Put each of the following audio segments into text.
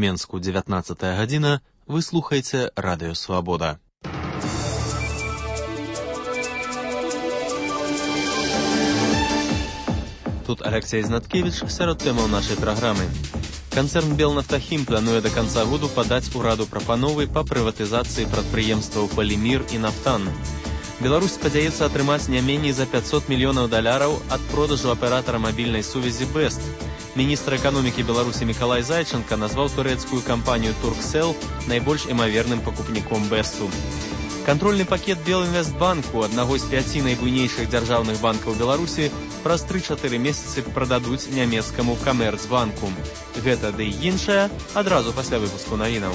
Менску 19 гадзіна, вы слухаеце Радыё Свабода. Тут Алексей Знаткевич сярод тэмаў нашай праграмы. Канцэрн «Белнафтахім» плануе до конца году падаць ураду прапановы па прыватызацыі прадпрыемстваў «Полимир» і «Нафтан». Беларусь спадзяецца атрымаць не меней за $500 мільёнаў ад продажу аператара мабільнай сувязі «Бест». Міністр эканомікі Беларусі Мікалай Зайченка назваў турэцкую кампанію «Турксел» найбольш імаверным пакупніком «Бесту». Кантрольны пакет Белінвестбанку, аднаго з 5 найбуйнейшых дзяржаўных банкаў Беларусі, праз 3-4 месяцы прададуць нямецкаму Камерцбанку. Гэта ды і іншае адразу пасля выпуску навінаў.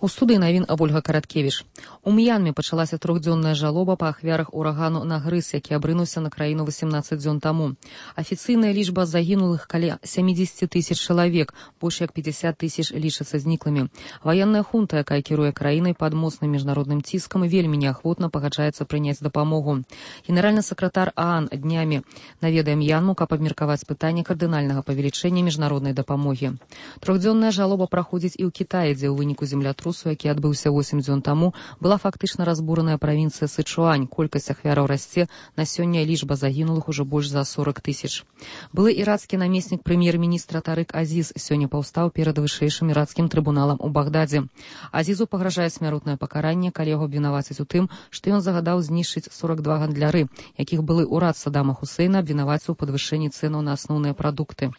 У студыі навін Ольга Караткевіч. У М'янме пачалася 3-дзённая жалоба па ахвярах урагану Нагрыз, які абрынуўся на краіну 18 дзён таму. Афіцыйная лічба загінулых каля 70 тысяч чалавек, больш як 50 тысяч лічацца зніклымі. Ваенная хунта, якая кіруе краінай пад моцным міжнародным ціскам, вельмі неахвотна пагаджаецца прыняць дапамогу. Генеральны сакратар ААН днямі наведае М'янму, каб абмеркаваць пытанне кардынальнага павелічэння міжнароднай дапамогі. 3-дзённая жалоба праходзіць і ў Кітаі, дзе ў выніку землятрусу, які адбыўся 8 дзён таму, была фактычна разбураная правінцыя Сычуань. Колькасць ахвяраў расце, на сёння лічба загінулых ужо больш за 40 тысяч. Былы ірацкі намеснік прэм'ер-міністра Тарык Азіз сёння паўстаў перад вышэйшым ірацкім трыбуналам у Багдадзе. Азізу пагражае смяротнае пакаранне, калі яго абвінавацяць у тым, што ён загадаў знішчыць 42 гандляры, якіх былы ўрад Саддама Хусейна абвінаваціў у падвышэнні цэнаў на асноўныя прадукты.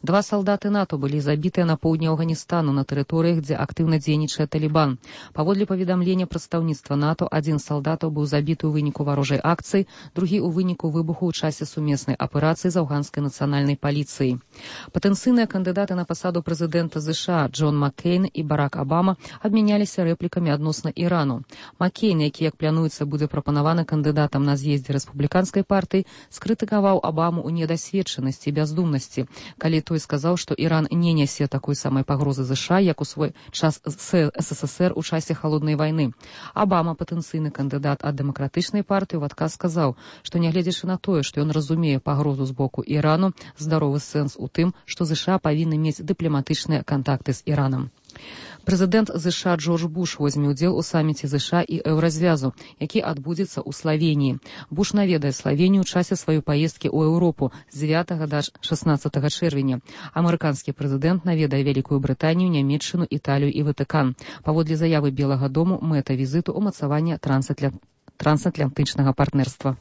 2 салдаты НАТО былі забітыя на поўдні Афганістану, на тэрыторыях, дзе актыўна дзейнічае Талібан. Паводле паведамлення прадстаўніцтва НАТО, 1 з салдатаў быў забіты ў выніку варожай акцыі, другі ў выніку выбуху ў часе сумеснай аперацыі з афганскай нацыянальнай паліцыяй. Патэнцыйныя кандыдаты на пасаду прэзідэнта США Джон Маккейн і Барак Абама абмяняліся рэплікамі адносна Ірану. Маккейн, які, як плануецца, будзе прапанаваны кандыдатам на з'ездзе рэспубліканскай партыі, скрытыкаваў Абаму ў недасведчанасці і бяздумнасці, калі той сказаў, што Іран не нясе такой самай пагрозы США, як у свой час СССР у часе халоднай вайны. Абама, патэнцыйны кандыдат ад дэмакратычнай партыі, у адказ сказаў, што нягледзячы на тое, што ён разумее пагрозу з боку Ірану, здаровы сэнс у тым, што США павінны мець дыпламатычныя кантакты з Іранам. Прэзідэнт США Джордж Буш возьме ўдзел у саміце США і Еўразвязу, які адбудзецца ў Славеніі. Буш наведае Славенію ў часе сваёй паездкі ў Еўропу з 9 да 16 чэрвеня. Амерыканскі прэзідэнт наведае Вялікую Брытанію, Нямецчыну, Італію і Ватыкан. Паводле заявы Белага дому, мэта візіту ўмацавання трансатлантычнага партнерства.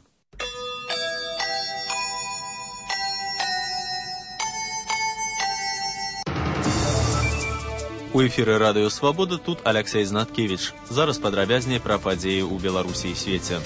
У эфіры Радыё Свабода тут Алексей Знаткевич. Зараз падрабязней пра падзеі ў Беларусі і свеце.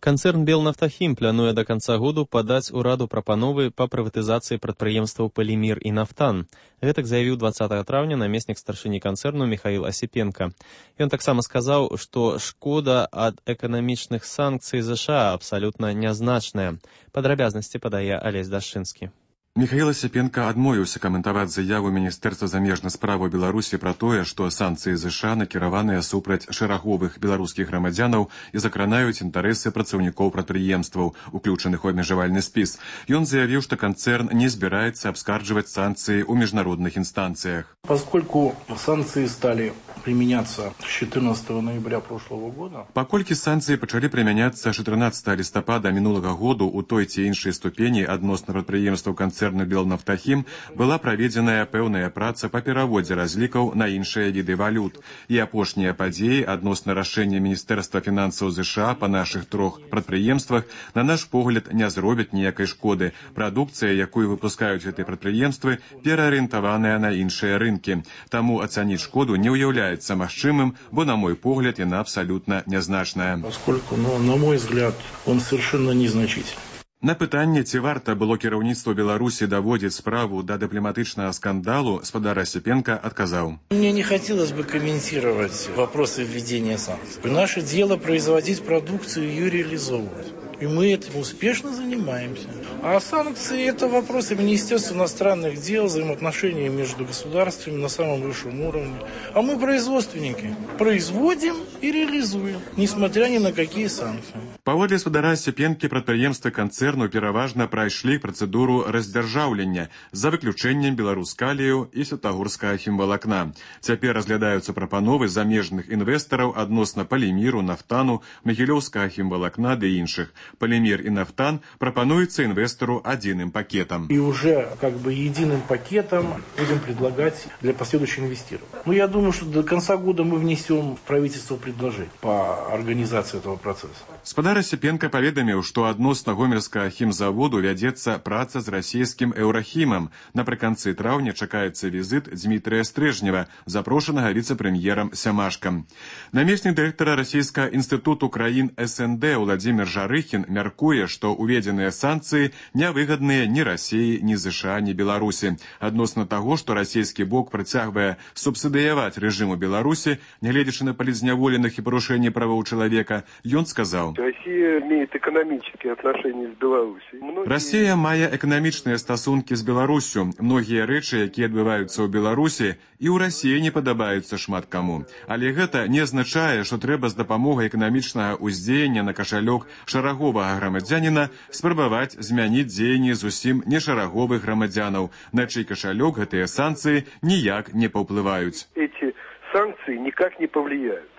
Канцэрн «Белнафтахім» плануе до конца году падаць ураду прапановы па прыватызацыі прадпрыемстваў «Полимир» і «Нафтан». Гэтак заявіў 20 траўня намеснік старшыні канцэрну Михаил Осипенко. Ён таксама сказаў, што шкода ад эканамічных санкцый США абсалютна нязначная. Падрабязнасці падае Алесь Дашчынскі. Михаил Осипенко адмовіўся каментаваць заяву Міністэрства замежных справаў Беларусі пра тое, што санкцыі США накіраваныя супраць шэраговых беларускіх грамадзянаў і закранаюць інтарэсы працаўнікоў прадпрыемстваў, уключаных у абмежавальны спіс. Ён заявіў, што канцэрн не збіраецца абскарджваць санкцыі ў міжнародных інстанцыях. Поскольку санкции стали применяться с 14 ноября прошлого года. Паколькі санкцыі пачалі прымяняцца 14 лістапада мінулага году ў той ці іншай ступені адносна прадпрыемстваў канцэрну «Белнафтахім», была праведзеная пэўная праца па пераводзе разлікаў на іншыя віды валют. І апошнія падзеі адносна рашэння Міністэрства фінансаў США па нашых 3 прадпрыемствах, на наш погляд, не зробяць ніякай шкоды. Прадукцыя, якую выпускаюць гэтыя прадпрыемствы, пераарыентаваная на іншыя рынкі. Таму ацаніць шкоду не ўяўляецца магчымым, бо, на мой погляд, яна абсалютна нязначная. Поскольку, на мой взгляд, он совершенно незначительный. На пытанне, ці варта было кіраўніцтву Беларусі даводзіць справу да дыпламатычнага скандалу, спадар Осипенко адказаў. Мне не хотелось бы комментировать вопросы введения санкций. Наше дело производить продукцию и ее реализовывать. И мы этим успешно занимаемся. А санкции – это вопросы Министерства иностранных дел, взаимоотношения между государствами на самом высшем уровне. А мы производственники. Производим и реализуем, несмотря ни на какие санкции. Паводле спадара Сцепенкі прадпрыемствы канцэрну пераважна прайшлі працэдуру раздзяржаўлення за выключэннем беларускалію і святагорскага хімвалакна. Цяпер разглядаюцца прапановы замежных інвестараў адносна паліміру, нафтану, магілёўскага хімвалакна ды іншых. Палімір і нафтан прапануецца инвестору единым пакетом. И уже единым пакетом будем предлагать для последующего инвестирования. Я думаю, что до конца года мы внесем в правительство предложение по организации этого процесса. Спадар Асіпенка паведаміў, што адносна гомельскага хімзаводу вядзецца праца з расійскім еўрахімам. Напрыканцы траўня чакаецца візіт Дмітрия Стрежнева, запрошанага віцэ-прэм'ерам Сямашкам. Намеснік дырэктара Расійскага інстытуту краін СНД Владзімір Жарыхін мяркуе, што уведзеныя санкцыі нявыгадныя ні Расіі, ні ЗША, ні Беларусі. Адносна таго, што расійскі бок працягвае субсідыяваць рэжыму Беларусі, нягледзячы на палізняволеных і парушэнні правоў чалавека, ён сказаў: Россия имеет экономические отношения с Беларусью. Россия мае эканамічныя стасункі з Беларусю. Многія рэчы, якія адбываюцца ў Беларусі, і ў Расіі не падабаюцца шмат каму. Але гэта не азначае, што трэба з дапамогай эканамічнага ўздзеяння на кашалёк шараговага грамадзяніна спрабаваць змяніць дзеянні зусім нешараговых грамадзянаў, на чый кашалёк гэтыя санкцыі ніяк не паўплываюць. Эти санкции никак не повлияют.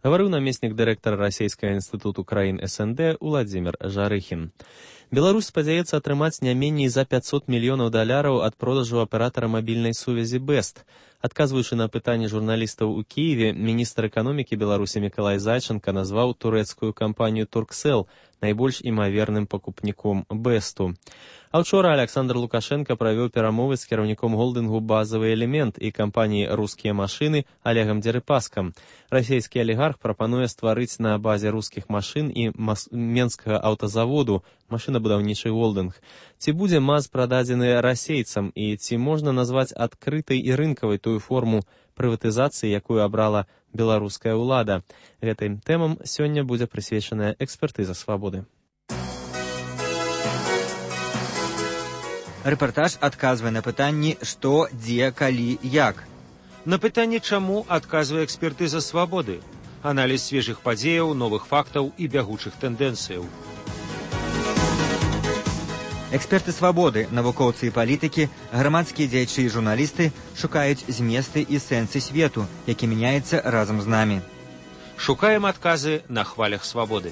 Гаварыў намеснік дырэктара Расійскага інстытуту краін СНД Владзімір Жарыхін. Беларусь спадзяецца атрымаць не меней за $500 мільёнаў ад продажу аператара мабільнай сувязі Бест. Адказваючы на пытанне журналістаў у Кіеве, міністр эканомікі Беларусі Мікалай Зайченка назваў турэцкую кампанію Турксел найбольш імаверным пакупніком Бесту. А ўчора Александр Лукашенко правёў перамовы з кіраўніком голдынгу «Базавы элемент» і кампаніі «Рускія машыны» Олегам Дерипаскам. Расійскі алігарх прапануе стварыць на базе рускіх машын і менскага аўтазаводу машынабудаўнічы голдынг. Ці будзе МАЗ прададзены расейцам і ці можна назваць адкрытай і рынкавай тую форму прыватызацыі, якую абрала беларуская ўлада? Гэтым тэмам сёння будзе прысвечаная экспертыза «Свабоды». Рэпартаж адказвае на пытанні «Што, дзе, калі, як?». На пытанне «Чаму» адказвае экспертыза «Свабоды». Аналіз свежых падзеяў, новых фактаў і бягучых тэндэнцыяў. Эксперты «Свабоды», навукоўцы і палітыкі, грамадскія дзеячы і журналісты шукаюць зместы і сэнсы свету, які мяняецца разам з намі. Шукаем адказы на хвалях «Свабоды».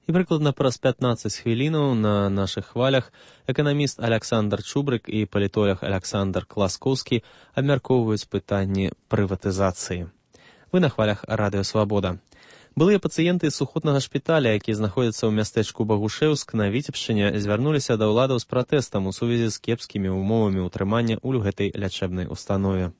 І прыкладна праз 15 хвілінаў на нашых хвалях эканаміст Александр Чубрык і палітолог Александр Класкоўскі абмяркоўваюць пытанні прыватызацыі. Вы на хвалях радыё «Свабода». Былыя пацыенты сухотнага шпіталя, які знаходзяцца ў мястэчку Багушэўск на Віцебшчыне, звярнуліся да ўладаў з пратэстам у сувязі з кепскімі ўмовамі ўтрымання ў гэтай лячэбнай установе.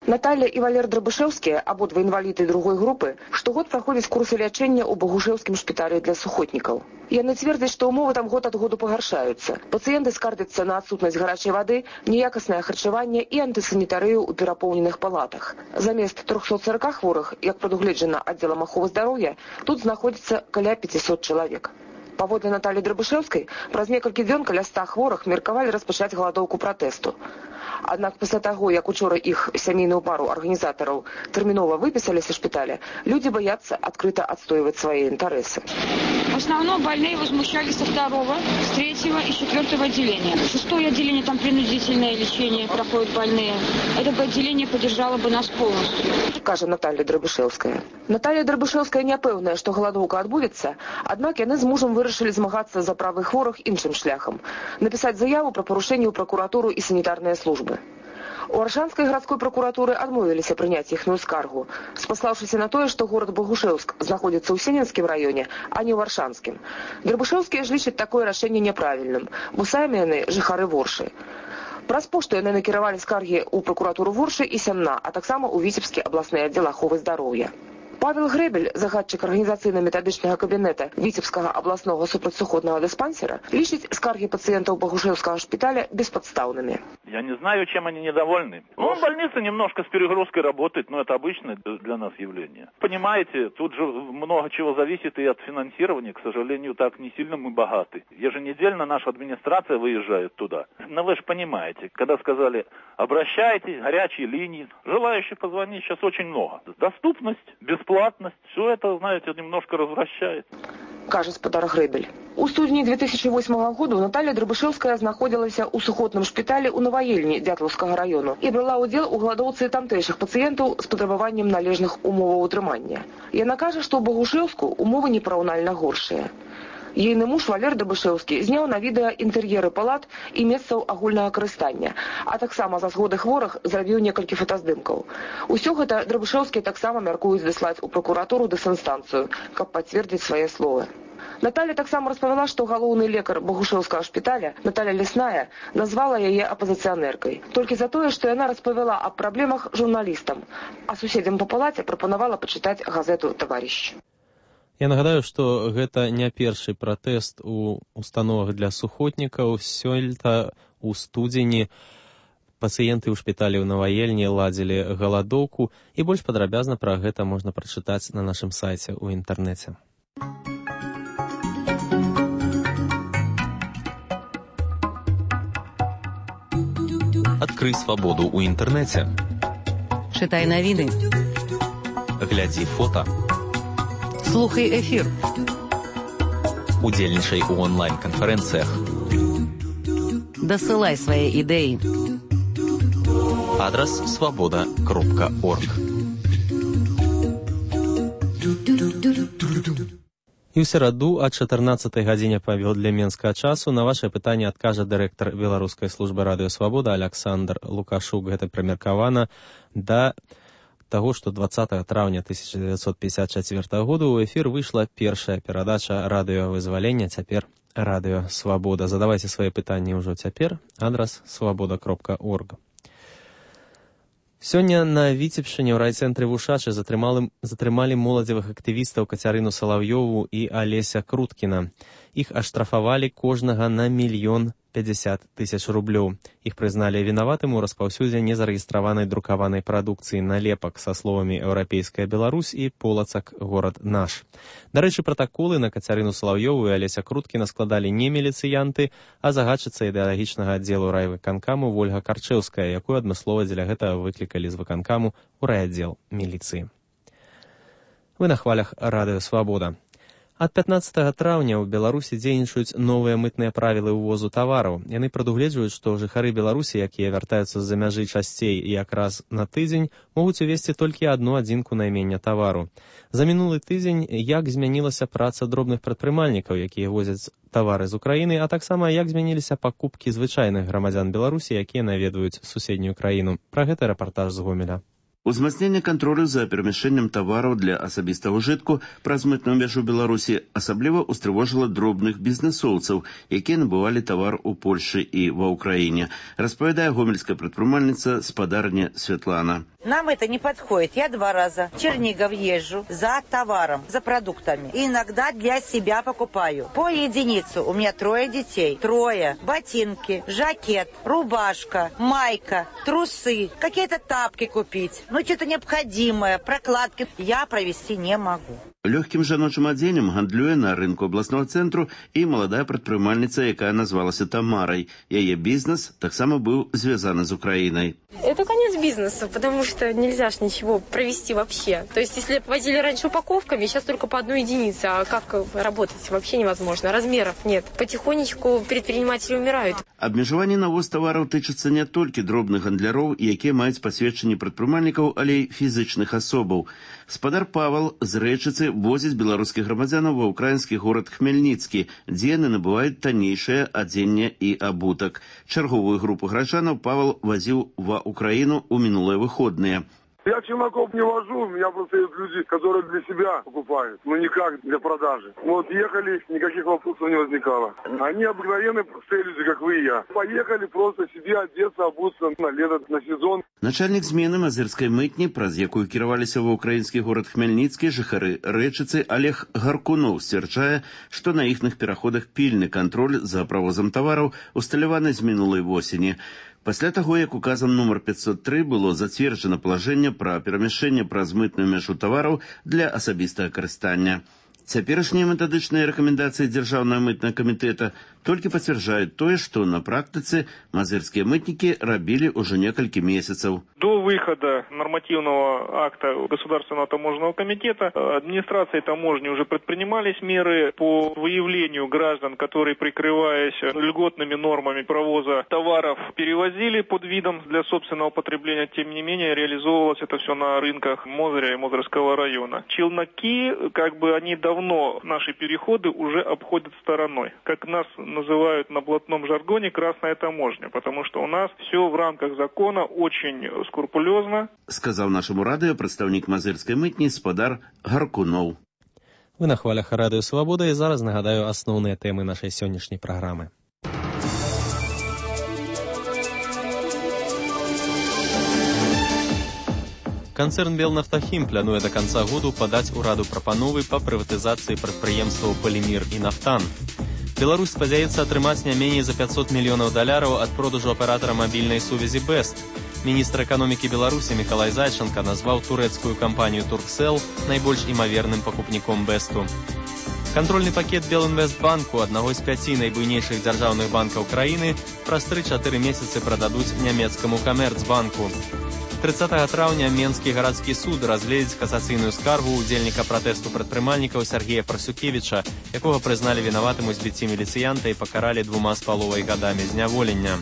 Наталья и Валер Драбышевские, ободва инвалиды другой группы, штогод проходят курсы лечения у Багушевскім шпитале для сухотников. Яны цвердзяць, што ўмовы там год ад году пагаршаюцца. Пацыенты скардзяцца на адсутнасць гарачай вады, неякаснае харчаванне і антысанітарыю ў перапоўненых палатах. Замест 340 хворых, як прадугледжана аддзелам аховы здароўя, тут знаходзіцца каля 500 чалавек. Паводле Натальи Драбышевскай, праз некалькі дзён каля 100 хворых меркавалі распачаць галадоўку пратэсту. Аднак пасля таго, як учора іх сямейную пару арганізатараў тэрмінова выпісалі са шпіталя, люди боятся открыто отстаивать свои интересы. В основном больные возмущались со 2-го, с 3-го и 4-го отделения. 6-е отделение, там принудительное лечение проходят больные. Это бы отделение поддержало бы нас полностью. Кажа Наталья Драбышевская. Наталья Драбышевская не пэўная, што галадоўка адбудзецца, аднак яны з мужам вырашылі змагацца за правы хворых іншым шляхам. Напісаць заяву пра парушэнне ў пракуратуру і санітарныя службы. У Аршанскай гарадской прокуратуры адмовіліся прыняць іхную скаргу, спаслаўшыся на тое, што горад Багушэўск знаходзіцца ў Сененскім раёне, а не ў Аршанскім. Драбышэўскія ж лічаць такое рашэнне няправільным, бо самі яны жыхары Воршы. Праз пошту яны накіравалі скаргі ў прокуратуру Воршы і Сямна, а таксама ў Віцебскі абласны аддзел аховы здароўя. Павел Грэбель, загадчык арганізацыйна-метадычнага кабінета Віцебскага абласнога супрацьсухотнага дыспансера, лічыць скаргі пациентов Богушевского шпиталя бесподставными. Я не знаю, чем они недовольны. Больница немножко с перегрузкой работает, но это обычное для нас явление. Понимаете, тут же много чего зависит и от финансирования. К сожалению, так не сильно мы богаты. Еженедельно наша администрация выезжает туда. Но вы же понимаете, когда сказали, обращайтесь, горячие линии, желающих позвонить сейчас очень много. Доступность, бесплатность, все это, знаете, немножко развращает. Кажа спадар Грэбель. У студзені 2008 году Наталья Драбышевская знаходзілася ў сухотным шпіталі ў Наваельні Дятлаўскага району і брала ўдзел у гладоўцы тамтэйшых пацыентаў з патрабаваннем належных умоваў утрымання. Яна кажа, што ў Богушевску умовы непараўнальна горшыя. Ейны муж Валер Дабышевскі зняў на відэа інтэр'еры палат і месцаў агульнага карыстання, а таксама за згоды хворых зрабіў некалькі фотаздымкаў. Усё гэта Драбышевскія таксама мяркуюць даслаць у пракуратуру дысінстанцыю, каб пацвердзіць свае словы. Наталья таксама распавяла, што галоўны лекар Богушевскага шпіталя Наталья Лесная назвала яе апазіцыянеркай. Толькі за тое, што яна распавяла аб праблемах журналістам, а суседзям па палаце прапанавала пачытаць газету «Таварыш». Я нагадаю, што гэта не першы пратэст у установах для сухотнікаў. Сёлета у студзені пацыенты ў шпіталі ў Наваельні ладзілі галадоўку, і больш падрабязна пра гэта можна прачытаць на нашым сайце ў інтэрнэце. Адкрый свабоду ў інтэрнэце. Чытай навіны. Глядзі фота. Слухай эфір. Удзельнічай у онлайн-канферэнцыях. Дасылай свае ідэі. Адрас свабода.орг. І ў сераду о 14 гадзіне паводле менскага часу на вашае пытанне адкажа дырэктар беларускай службы радыё Свабода Александр Лукашук. Гэта прымеркавана да таго, што 20 траўня 1954 году ў эфір выйшла першая перадача радыёвызвалення, цяпер радыё Свабода. Задавайце свае пытанні ўжо цяпер. Адрас свабода.орг. Сёння на Віцебшчыне ў райцэнтры Вушачы затрымалі моладзевых актывістаў Кацярыну Салаўёву і Алеся Круткіна. Іх аштрафавалі кожнага на 1 050 000 рублёў. Іх прызналі вінаватым у распаўсюдзе незарэгістраванай друкаванай прадукцыі налепак са словамі «Еўрапейская Беларусь» і «Полацак горад наш». Дарэчы, пратаколы на Кацярыну Салаўёву і Алеся Круткіна складалі не міліцыянты, а загадчыца ідэалагічнага аддзелу райвыканкаму Вольга Карчэўская, якую адмыслова дзеля гэтага выклікалі з выканкаму ў райаддзел міліцыі. Вы на хвалях радыё Свабода. Ад 15 траўня ў Беларусі дзейнічаюць новыя мытныя правілы ўвозу тавараў. Яны прадугледжваюць, што жыхары Беларусі, якія вяртаюцца з-за мяжы часцей і якраз на тыдзень, могуць увесці толькі адну адзінку наймення тавару. За мінулы тыдзень як змянілася праца дробных прадпрымальнікаў, якія возяць тавары з Украіны, а таксама як змяніліся пакупкі звычайных грамадзян Беларусі, якія наведваюць суседнюю краіну. Пра гэта рэпартаж з Гомеля. Узмацненне кантролю за перамяшчэннем тавараў для асабістага ўжытку праз мытную мяжу Беларусі асабліва устрывожыла дробных бізнесоўцаў, якія набывалі тавар у Польшы і ва Ўкраіне, распавядае гомельская прадпрымальніца спадарня Святлана. Нам это не подходит. Я 2 раза в Чернигов езжу за товаром, за продуктами. И иногда для себя покупаю. По единицу. У меня 3 детей. 3. Ботинки, жакет, рубашка, майка, трусы, какие-то тапки купить. Ну, что-то необходимое, прокладки. Я провести не могу. Лёгкім жаночым адзеннем гандлюе на рынку абласнога цэнтру і маладая прадпрымальніца, якая назвалася Тамарай. Яе бізнес таксама быў звязаны з Украінай. Это конец бизнеса, потому что нельзя ж ничего провести вообще. То есть, если возили раньше упаковками, сейчас только по 1 единице. А как работать? Вообще невозможно. Размеров нет. Потихонечку предприниматели умирают. Абмежаванне на ввоз тавараў тычыцца не толькі дробных гандляроў, якія маюць пасведчанні прадпрымальнікаў, але і фізычных асобаў. Спадар Павел з Рэчыцы возіць беларускіх грамадзянаў ва ўкраінскі горад Хмельніцкі, дзе яны набываюць таннейшае адзенне і абутак. Чарговую групу гражданаў Павел вазіў ва Украіну ў мінулыя выходныя. Я челноков не вожу, у меня просто есть люди, которые для себя покупают, но никак для продажи. Вот ехали, никаких вопросов не возникало. Они обыкновенные простые люди, как вы и я. Поехали просто себе одеться, обуться на лето, на сезон. Начальник змены мазырскай мытні, праз якую кіраваліся ва ўкраінскі горад Хмельніцкі, жыхары Рэчыцы, Олег Гаркунов сцвярджае, што на іхных пераходах пільны кантроль за правозам тавараў усталяваны з мінулай восені. Пасля таго, як указам нумар 503 было зацверджана палажэнне пра перамяшчэнне праз мытную мяжу тавараў для асабістага карыстання. Цяперашнія метадычныя рэкамендацыі Дзяржаўнага мытнага камітэта толькі пацвярджаюць тое, што на практыцы мазырскія мытнікі рабілі ўжо некалькі месяцаў. До выхода нормативного акта Государственного таможенного комитета администрацией таможни уже предпринимались меры по выявлению граждан, которые, прикрываясь льготными нормами провоза товаров, перевозили под видом для собственного потребления. Тем не менее, реализовывалось это все на рынках Мозыря и Мозырского района. Челноки, они давно наши переходы уже обходят стороной. Как нас называют на блатном жаргоне «красная таможня», потому что у нас все в рамках закона очень скрупулезно. Сказав нашому радіо представник мазирської митні спадар Гаркунов. Ви на хвалях Радіо Свобода, і зараз нагадаю основні теми нашої сьогоднішньої програми. Канцэрн «Белнафтахім» плануе до конца году падаць ураду прапановы па прыватызацыі прадпрыемстваў «Полимир» і «Нафтан». Беларусь спадзяецца атрымаць не меней за $500 мільёнаў ад продажу аператара мабільнай сувязі «Бест». Міністр эканомікі Беларусі Мікалай Зайченка назваў турэцкую кампанію «Турксел» найбольш імаверным пакупніком «Бесту». Кантрольны пакет Белінвестбанку, аднаго з 5 найбуйнейшых дзяржаўных банкаў краіны, праз 3-4 месяцы прададуць нямецкаму Камерцбанку. 30 траўня Менскі гарадскі суд разгледзіць касацыйную скаргу удзельніка пратэсту прадпрымальнікаў Сергея Парсукевіча, якога прызналі вінаватым у збіцці міліцыянта і пакаралі 2,5 гадамі зняволення.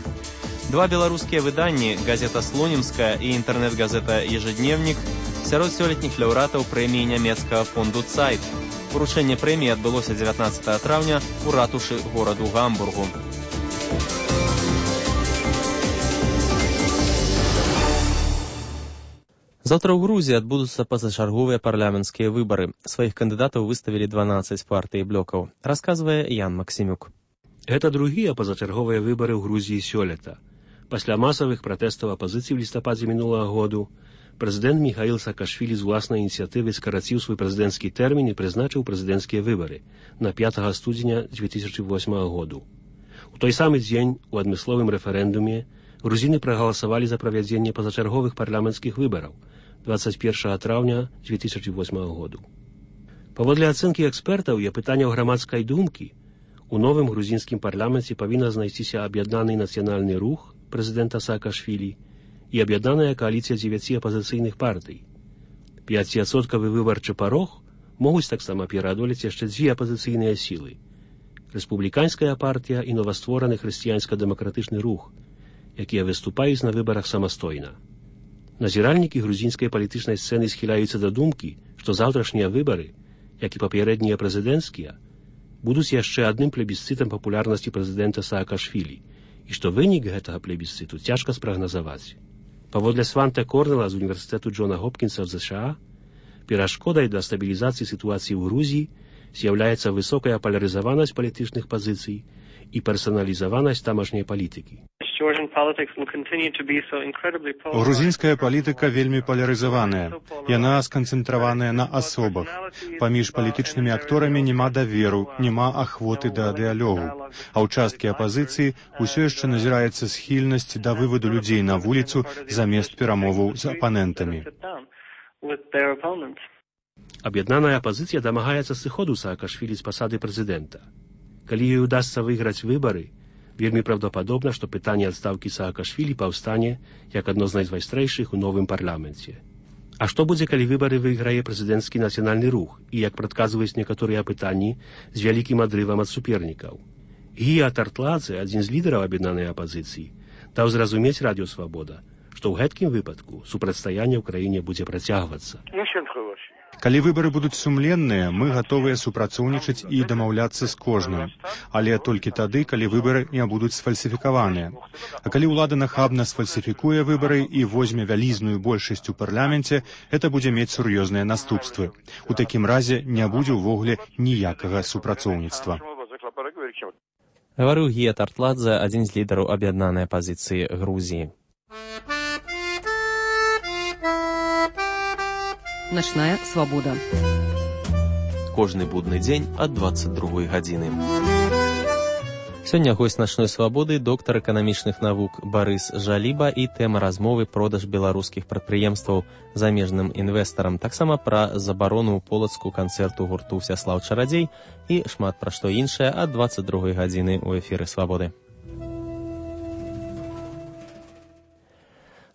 Два беларускія выданні, газета «Слонімская» і інтэрнэт-газета «Ежедневнік», сярод сёлетніх лаўрэатаў прэміі нямецкага фонду «Цайт». Уручэнне прэміі адбылося 19 траўня у ратушы гораду Гамбургу. Завтра ў Грузіі адбудуцца пазачарговыя парламенцкія выбары. Сваіх кандыдатаў выставілі 12 партый і блокаў. Расказвае Ян Максімюк. Гэта другія пазачарговыя выбары ў Грузіі сёлета. Пасля масавых пратэстаў апазіцыі ў лістападзе мінулага году прэзідэнт Міхаіл Саакашвілі з уласнай ініцыятывы скараціў свой прэзідэнцкі тэрмін і прызначыў прэзідэнцкія выбары на 5 студзеня 2008 году. У той самы дзень у адмысловым рэферэндуме грузіны прагаласавалі за правядзенне пазачарговых парламенцкіх выбараў 21 траўня 2008 году. Паводле ацэнкі экспертаў і апытанняў грамадскай думкі, у новым грузінскім парламенце павінна знайсціся аб'яднаны нацыянальны рух прэзідэнта Саакашвілі і аб'яднаная кааліцыя 9 апазіцыйных партый. 5% выбарчы парог могуць таксама пераадолець яшчэ 2 апазіцыйныя сілы. Рэспубліканская партія і новаствораны хрысціянска-дэмакратычны рух, якія выступаюць на выбарах самастойна. Назіральнікі грузінскай палітычнай сцэны схіляюцца да думкі, што заўтрашнія выбары, як і папярэднія прэзідэнцкія, будуць яшчэ адным плебісцытам папулярнасці прэзідэнта Саакашвілі, і што вынік гэтага плебісцыту цяжка спрагназаваць. Паводле Сванте Корнела з універсітэту Джона Хопкінса в США, перашкодай для стабілізацыі сітуацыі ў Грузіі з'яўляецца высокая палярызаванасць палітычных пазіцый і персаналізаванасць тамашняй палітыкі. Грузінская палітыка вельмі палярызаваная. Яна сканцэнтраваная на асобах. Паміж палітычнымі акторамі няма даверу, няма ахвоты да дыялогу. А ў часткі апазіцыі ўсё яшчэ назіраецца схільнасць да вываду людзей на вуліцу замест перамоваў з апанентамі. Аб'яднаная апазіцыя дамагаецца сыходу Саакашвілі з пасады прэзідэнта. Калі ёй удасца выйграць выбары, вельмі правдападобна, што пытанне адстаўкі Саакашвілі паўстане як адно з найвайстрэйшых у новым парламенце. А што будзе, калі выбары выйграе прэзідэнцкі нацыянальны рух і, як прадказваюць некаторыя апытанні, з вялікім адрывам ад супернікаў? Гія Тартладзе, адзін з лідараў аб'яднанай апазіцыі, даў зразумець Радіё Свабода, што ў гэткім выпадку супрацьстаянне ў краіне будзе працягвацца. Калі выбары будуць сумленныя, мы гатовыя супрацоўнічаць і дамаўляцца з кожным. Але толькі тады, калі выбары не будуць сфальсіфікаваныя. А калі ўлада нахабна сфальсіфікуе выбары і возьме вялізную большасць у парламенце, гэта будзе мець сур'ёзныя наступствы. У такім разе не будзе ўвогуле ніякага супрацоўніцтва. Гаварыў Гія Тартладзе, адзін з лідараў аб'яднанай апазіцыі Грузіі. Начная свабода. Кожны будны дзень ад 22 гадзіны. Сёння госць начной свабоды доктар эканамічных навук Барыс Жаліба і тэма размовы продаж беларускіх прадпрыемстваў замежным інвестарам, таксама пра забарону ў Полацку канцэрту гурту Всяслаў Чарадзей і шмат пра што іншае ад 22 гадзіны ў эфіры Свабоды.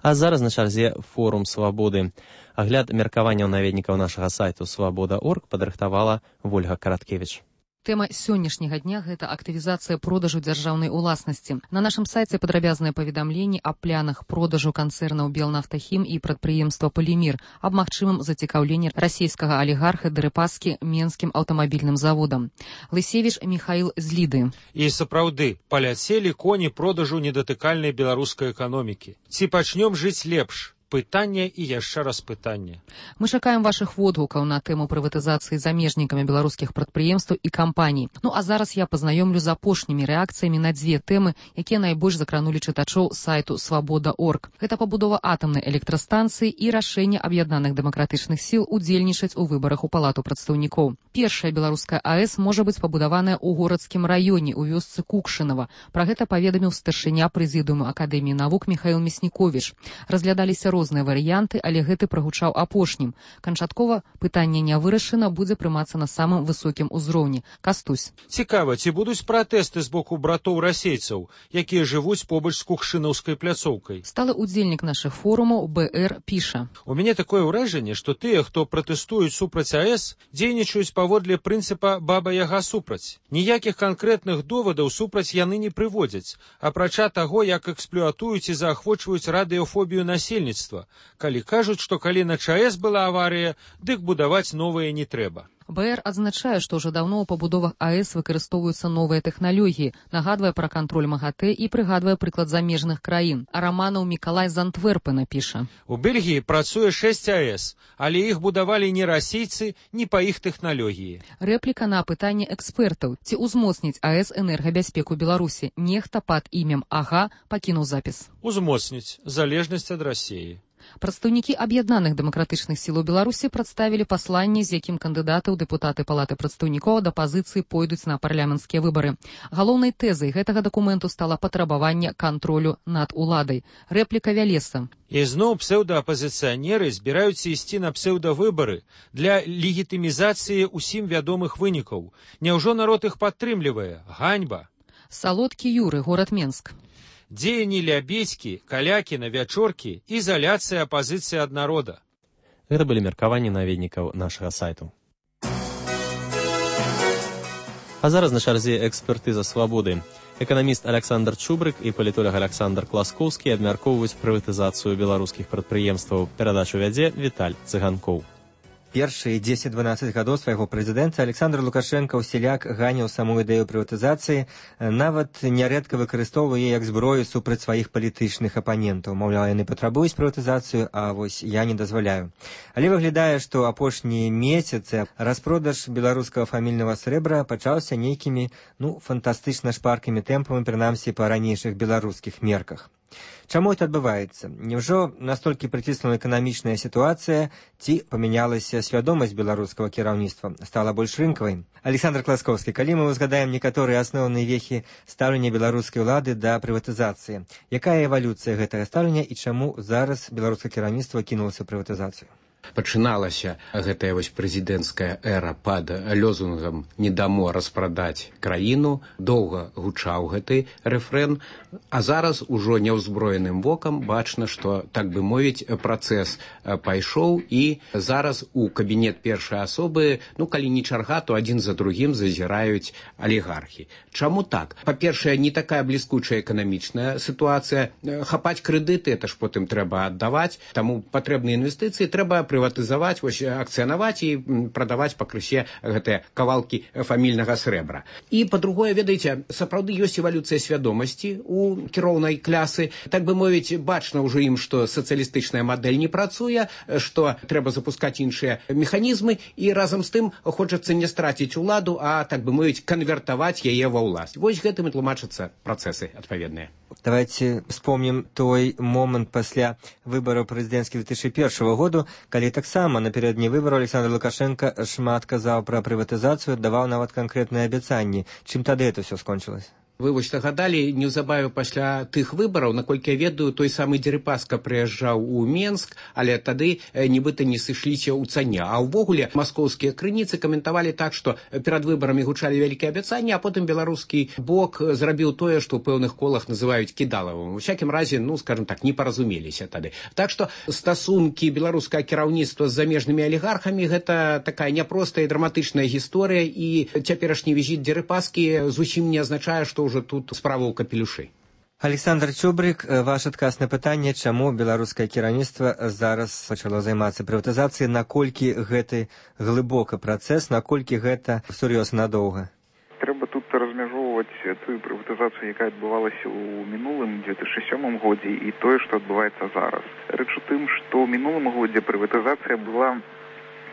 А зараз на чарзе форум Свабоды. Агляд меркаванняў наведнікаў нашага сайту свабода.орг падрыхтавала Вольга Караткевіч. Тэма сённяшняга дня – гэта актывізацыя продажу дзяржаўнай уласнасці. На нашым сайце падрабязныя паведамленні аб планах продажу канцэрнаў Белнафтахім і прадпрыемства Полімір, аб магчымым зацікаўленні расійскага алігарха Дэрыпаскі Менскім аўтамабільным заводам. Лысевіч Міхаіл з Ліды. І сапраўды, паляцелі коні продажу недатыкальнай беларускай эканомікі. Ці пачнём жыць лепш? Пытанне і яшчэ раз пытанне. Мы чакаем вашых водгукаў на тэму прыватызацыі замежнікамі беларускіх прадпрыемстваў і кампаній. Ну а зараз я пазнаёмлю з апошнімі рэакцыямі на дзве тэмы, якія найбольш закранулі чытачоў сайту свабода.орг. Гэта пабудова атамнай электрастанцыі і рашэнне аб'яднаных дэмакратычных сіл удзельнічаць у выбарах у палату прадстаўнікоў. Першая беларуская АЭС можа быць пабудаваная ў горадскім раёне у вёсцы Кукшынава. Пра гэта паведаміў старшыня прэзідыуму Акадэміі навук Міхаіл Мясніковіч. Разглядаліся розныя варыянты, але гэты прагучаў апошнім. Канчаткова пытанне не вырашана, будзе прымацца на самым высокім узроўні. Кастусь. Цікава, ці будуць пратэсты з боку братоў расейцаў, якія жывуць побач з Кукшынаўскай пляцоўкай? Сталы удзельнік нашых форумаў БР піша. У мяне такое ўражанне, што тыя, хто пратэстуюць супраць АЭС, дзейнічаюць паводле прынцыпа баба-яга супраць. Ніякіх канкрэтных довадаў супраць яны не прыводзяць, апрача таго, як эксплуатуюць і заахвочваюць радыёфобію насельніцтва. Калі кажуць, што калі на ЧАЭС была аварыя, дык будаваць новыя не трэба. БР адзначае, што ўжо даўно ў пабудовах АЭС выкарыстоўваюцца новыя тэхналогіі, нагадвае пра кантроль МАГАТЭ і прыгадвае прыклад замежных краін. А Раманаў Мікалай з Антверпена піша. У Бельгіі працуе 6 АЭС, але іх будавалі не расійцы, ні па іх тэхналогіі. Рэпліка на пытанне экспертаў. Ці ўзмоцніць АЭС энергабяспеку Беларусі? Нехта пад імем АГА пакінуў запіс. Узмоцніць, залежнасць ад Расіі. Прадстаўнікі аб'яднаных дэмакратычных сілаў Беларусі прадставілі пасланне, з якім кандыдаты ў дэпутаты палаты прадстаўнікоў ад апазіцыі пойдуць на парламенцкія выбары. Галоўнай тэзай гэтага дакументу стала патрабаванне кантролю над уладай. Рэпліка Вялеса. І зноў псеўдаапазіцыянеры збіраюцца ісці на псеўдавыбары для легітымізацыі ўсім вядомых вынікаў. Няўжо народ іх падтрымлівае? Ганьба. Салодкі Юры, горад Менск. Дзеянні лябедзькі, калякі на вячоркі, ізаляцыя апазіцыі ад народа. Гэта былі меркаванні наведнікаў нашага сайту. А зараз на чарзе экспертыза свабоды. Эканаміст Александр Чубрык і палітолог Александр Класкоўскі абмяркоўваюць прыватызацыю беларускіх прадпрыемстваў. Перадачу вядзе Віталь Цыганкоў. Першыя 10-12 гадоў свайго прэзідэнта Александр Лукашенко ўсяляк ганіў саму ідэю прыватызацыі, нават нярэдка выкарыстоўвае як зброю супраць сваіх палітычных апанентаў. Маўляў, яны патрабуюць прыватызацыю, а вось я не дазваляю. Але выглядае, што апошнія месяцы распродаж беларускага фамільнага срэбра пачаўся нейкімі, фантастычна шпаркімі тэмпамі, прынамсі па ранейшых беларускіх мерках. Чаму это адбываецца? Няўжо настолькі прыціснула эканамічная сітуацыя, ці памянялася свядомасць беларускага кіраўніцтва, стала больш рынкавай? Александр Класкоўскі, калі мы ўзгадаем некаторыя асноўныя вехі стаўлення беларускай улады да прыватызацыі, якая эвалюцыя гэтага стаўлення і чаму зараз беларускае кіраўніцтва кінулася ў прыватызацыю? Пачыналася гэтая вось прэзідэнцкая эра пад лёзунгам «Не дамо распрадаць краіну», доўга гучаў гэты рэфрэн, а зараз ужо няўзброеным вокам бачна, што, так бы мовіць, працэс пайшоў, і зараз у кабінет першай асобы, калі не чарга, то адзін за другім зазіраюць алігархі. Чаму так? Па-першае, не такая бліскучая эканамічная сітуацыя. Хапаць крэдыты, это ж потым трэба аддаваць, таму патрэбныя інвестыцыі трэба прыватызаваць, акцыянаваць і прадаваць пакрысе гэтыя кавалкі фамільнага срэбра. І, па-другое, ведаеце, сапраўды ёсць эвалюцыя свядомасці у кіроўнай клясы. Так бы мовіць, бачна ўжо ім, што сацыялістычная мадэль не працуе, што трэба запускаць іншыя механізмы, і разам з тым хочацца не страціць уладу, а, так бы мовіць, канвертаваць яе ва ўласць. Вось гэтым і тлумачацца працэсы адпаведныя. Давайте вспомним той момент пасля выбораў прэзідэнцкіх 2001 году, калі таксама напярэдадні выбараў Александр Лукашенко шмат казаў пра прыватызацыю, даваў нават канкрэтныя абяцанні. Чым тады это все скончылось? Вы вось нагадалі, неўзабаве пасля тых выбараў, наколькі я ведаю, той самы Дзерыпаска прыязджаў у Менск, але тады нібыта не сышліся ў цане. А ўвогуле маскоўскія крыніцы каментавалі так, што перад выбарамі гучалі вялікія абяцанні, а потым беларускі бок зрабіў тое, што ў пэўных колах называюць кідалавым. У всякім разе, скажем так, не паразумеліся тады. Так што стасункі беларускага кіраўніцтва з замежнымі алігархамі гэта такая няпростая і драматычная гісторыя, і цяперашні візіт Дзерыпаскі зусім не азначае, што уже тут справа ў капелюшы. Александр Чубрик, ваш адказ на пытанне, чаму беларускае кіраўніцтва зараз пачало займацца прыватызацыяй, наколькі гэты глыбокі працэс, наколькі гэта сур'ёзна надоўга? Трэба тут размяжоўваць тую прыватызацыю, якая адбывалася ў мінулым 2007 годзе, і тое, што адбываецца зараз. Рэч у тым, што ў мінулым годзе прыватызацыя была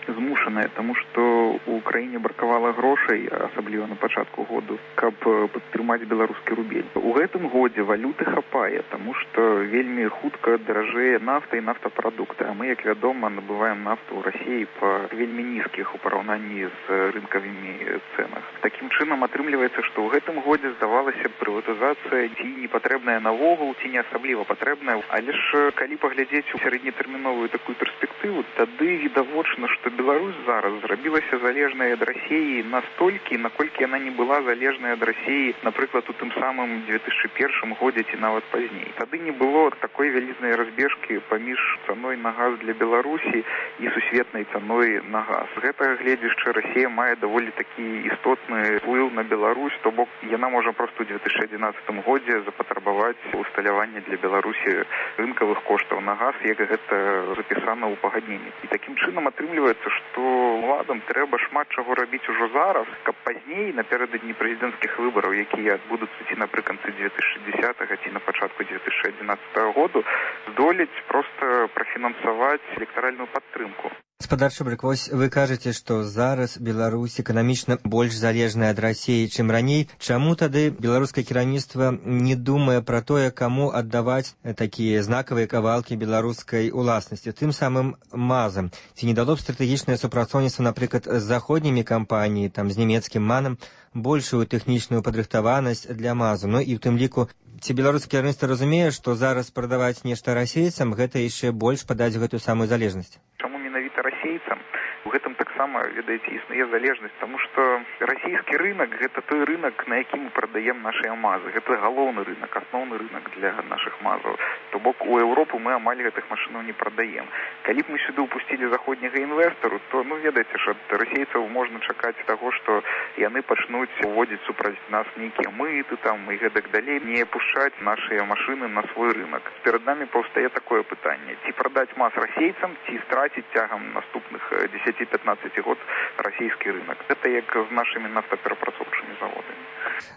змушаная, таму што ў краіне бракавала грошай, асабліва на пачатку году, каб падтрымаць беларускі рубель. У гэтым годзе валюты хапае, таму што вельмі хутка даражэе нафта і нафтапрадукты, а мы, як вядома, набываем нафту ў Расіі па вельмі нізкіх у параўнанні з рынкавымі цэнах. Такім чынам атрымліваецца, што ў гэтым годзе здавалася прыватызацыя ці не патрэбная наогул, ці не асабліва патрэбная, але ж калі паглядзець у сярэднетэрміновую такую перспектыву, тады відавочна, што Беларусь зараз зрабілася залежнай ад Расіі настолькі, наколькі яна не была залежнай ад Расіі, напрыклад, у тым самым 2001 годзе ці нават пазней. Тады не было такой вялізнай разбежкі паміж цаной на газ для Беларусі і сусветнай цаной на газ. З гэтага гледзячы Расія мае даволі такі істотны ўплыў на Беларусь, то бок яна можа проста ў 2011 годзе запатрабаваць усталяванне для Беларусі рынкавых коштаў на газ, як гэта запісана ў пагадненні. І такім чынам атрымліваецца, што ўладам трэба шмат чаго рабіць ужо зараз, каб пазней, напярэдадні прэзідэнцкіх выбараў, якія адбудуцца ці напрыканцы 2010 ці на пачатку 2011 году, здолець проста прафінансаваць электаральную падтрымку. Гаспадар Чубрик, вось вы кажаце, што зараз Беларусь эканамічна больш залежная ад Расіі, чым раней. Чаму тады беларускае кіраўніцтва не думае пра тое, каму аддаваць такія знакавыя кавалкі беларускай уласнасці, тым самым МАЗам? Ці не дало б стратэгічнае супрацоўніцтва, напрыклад, з заходнімі кампаніяй, з нямецкім МАНам, большую тэхнічную падрыхтаванасць для МАЗу? І ў тым ліку, ці беларускае кіраўніцтва разумее, што зараз прадаваць нешта расейцам, гэта яшчэ больш падаць гэтую самую залежнасць? Чаму менавіта расейцам? У гэтым таксама, ведаеце, існуе залежнасць, таму што расійскі рынак – гэта той рынак, на які мы прадаем нашыя мазы. Гэта галоўны рынак, асноўны рынак для нашых мазаў. То бок у Еўропу мы амаль гэтых машынаў не прадаем. Калі б мы сюды ўпусцілі заходняга інвестару, то, ведаеце ж, ад расейцаў можна чакаць таго, што яны пачнуць уводзіць супраць нас нейкія мыты і гэтак далей, не пушчаць нашыя машыны на свой рынак. Перад намі паўстае такое пытанне. Ці прадаць маз расейцам, ці страціць цягам наступных 10-15 год расійскі рынок. Гэта як з нашымі нафтаперапрацоўчымі заводамі.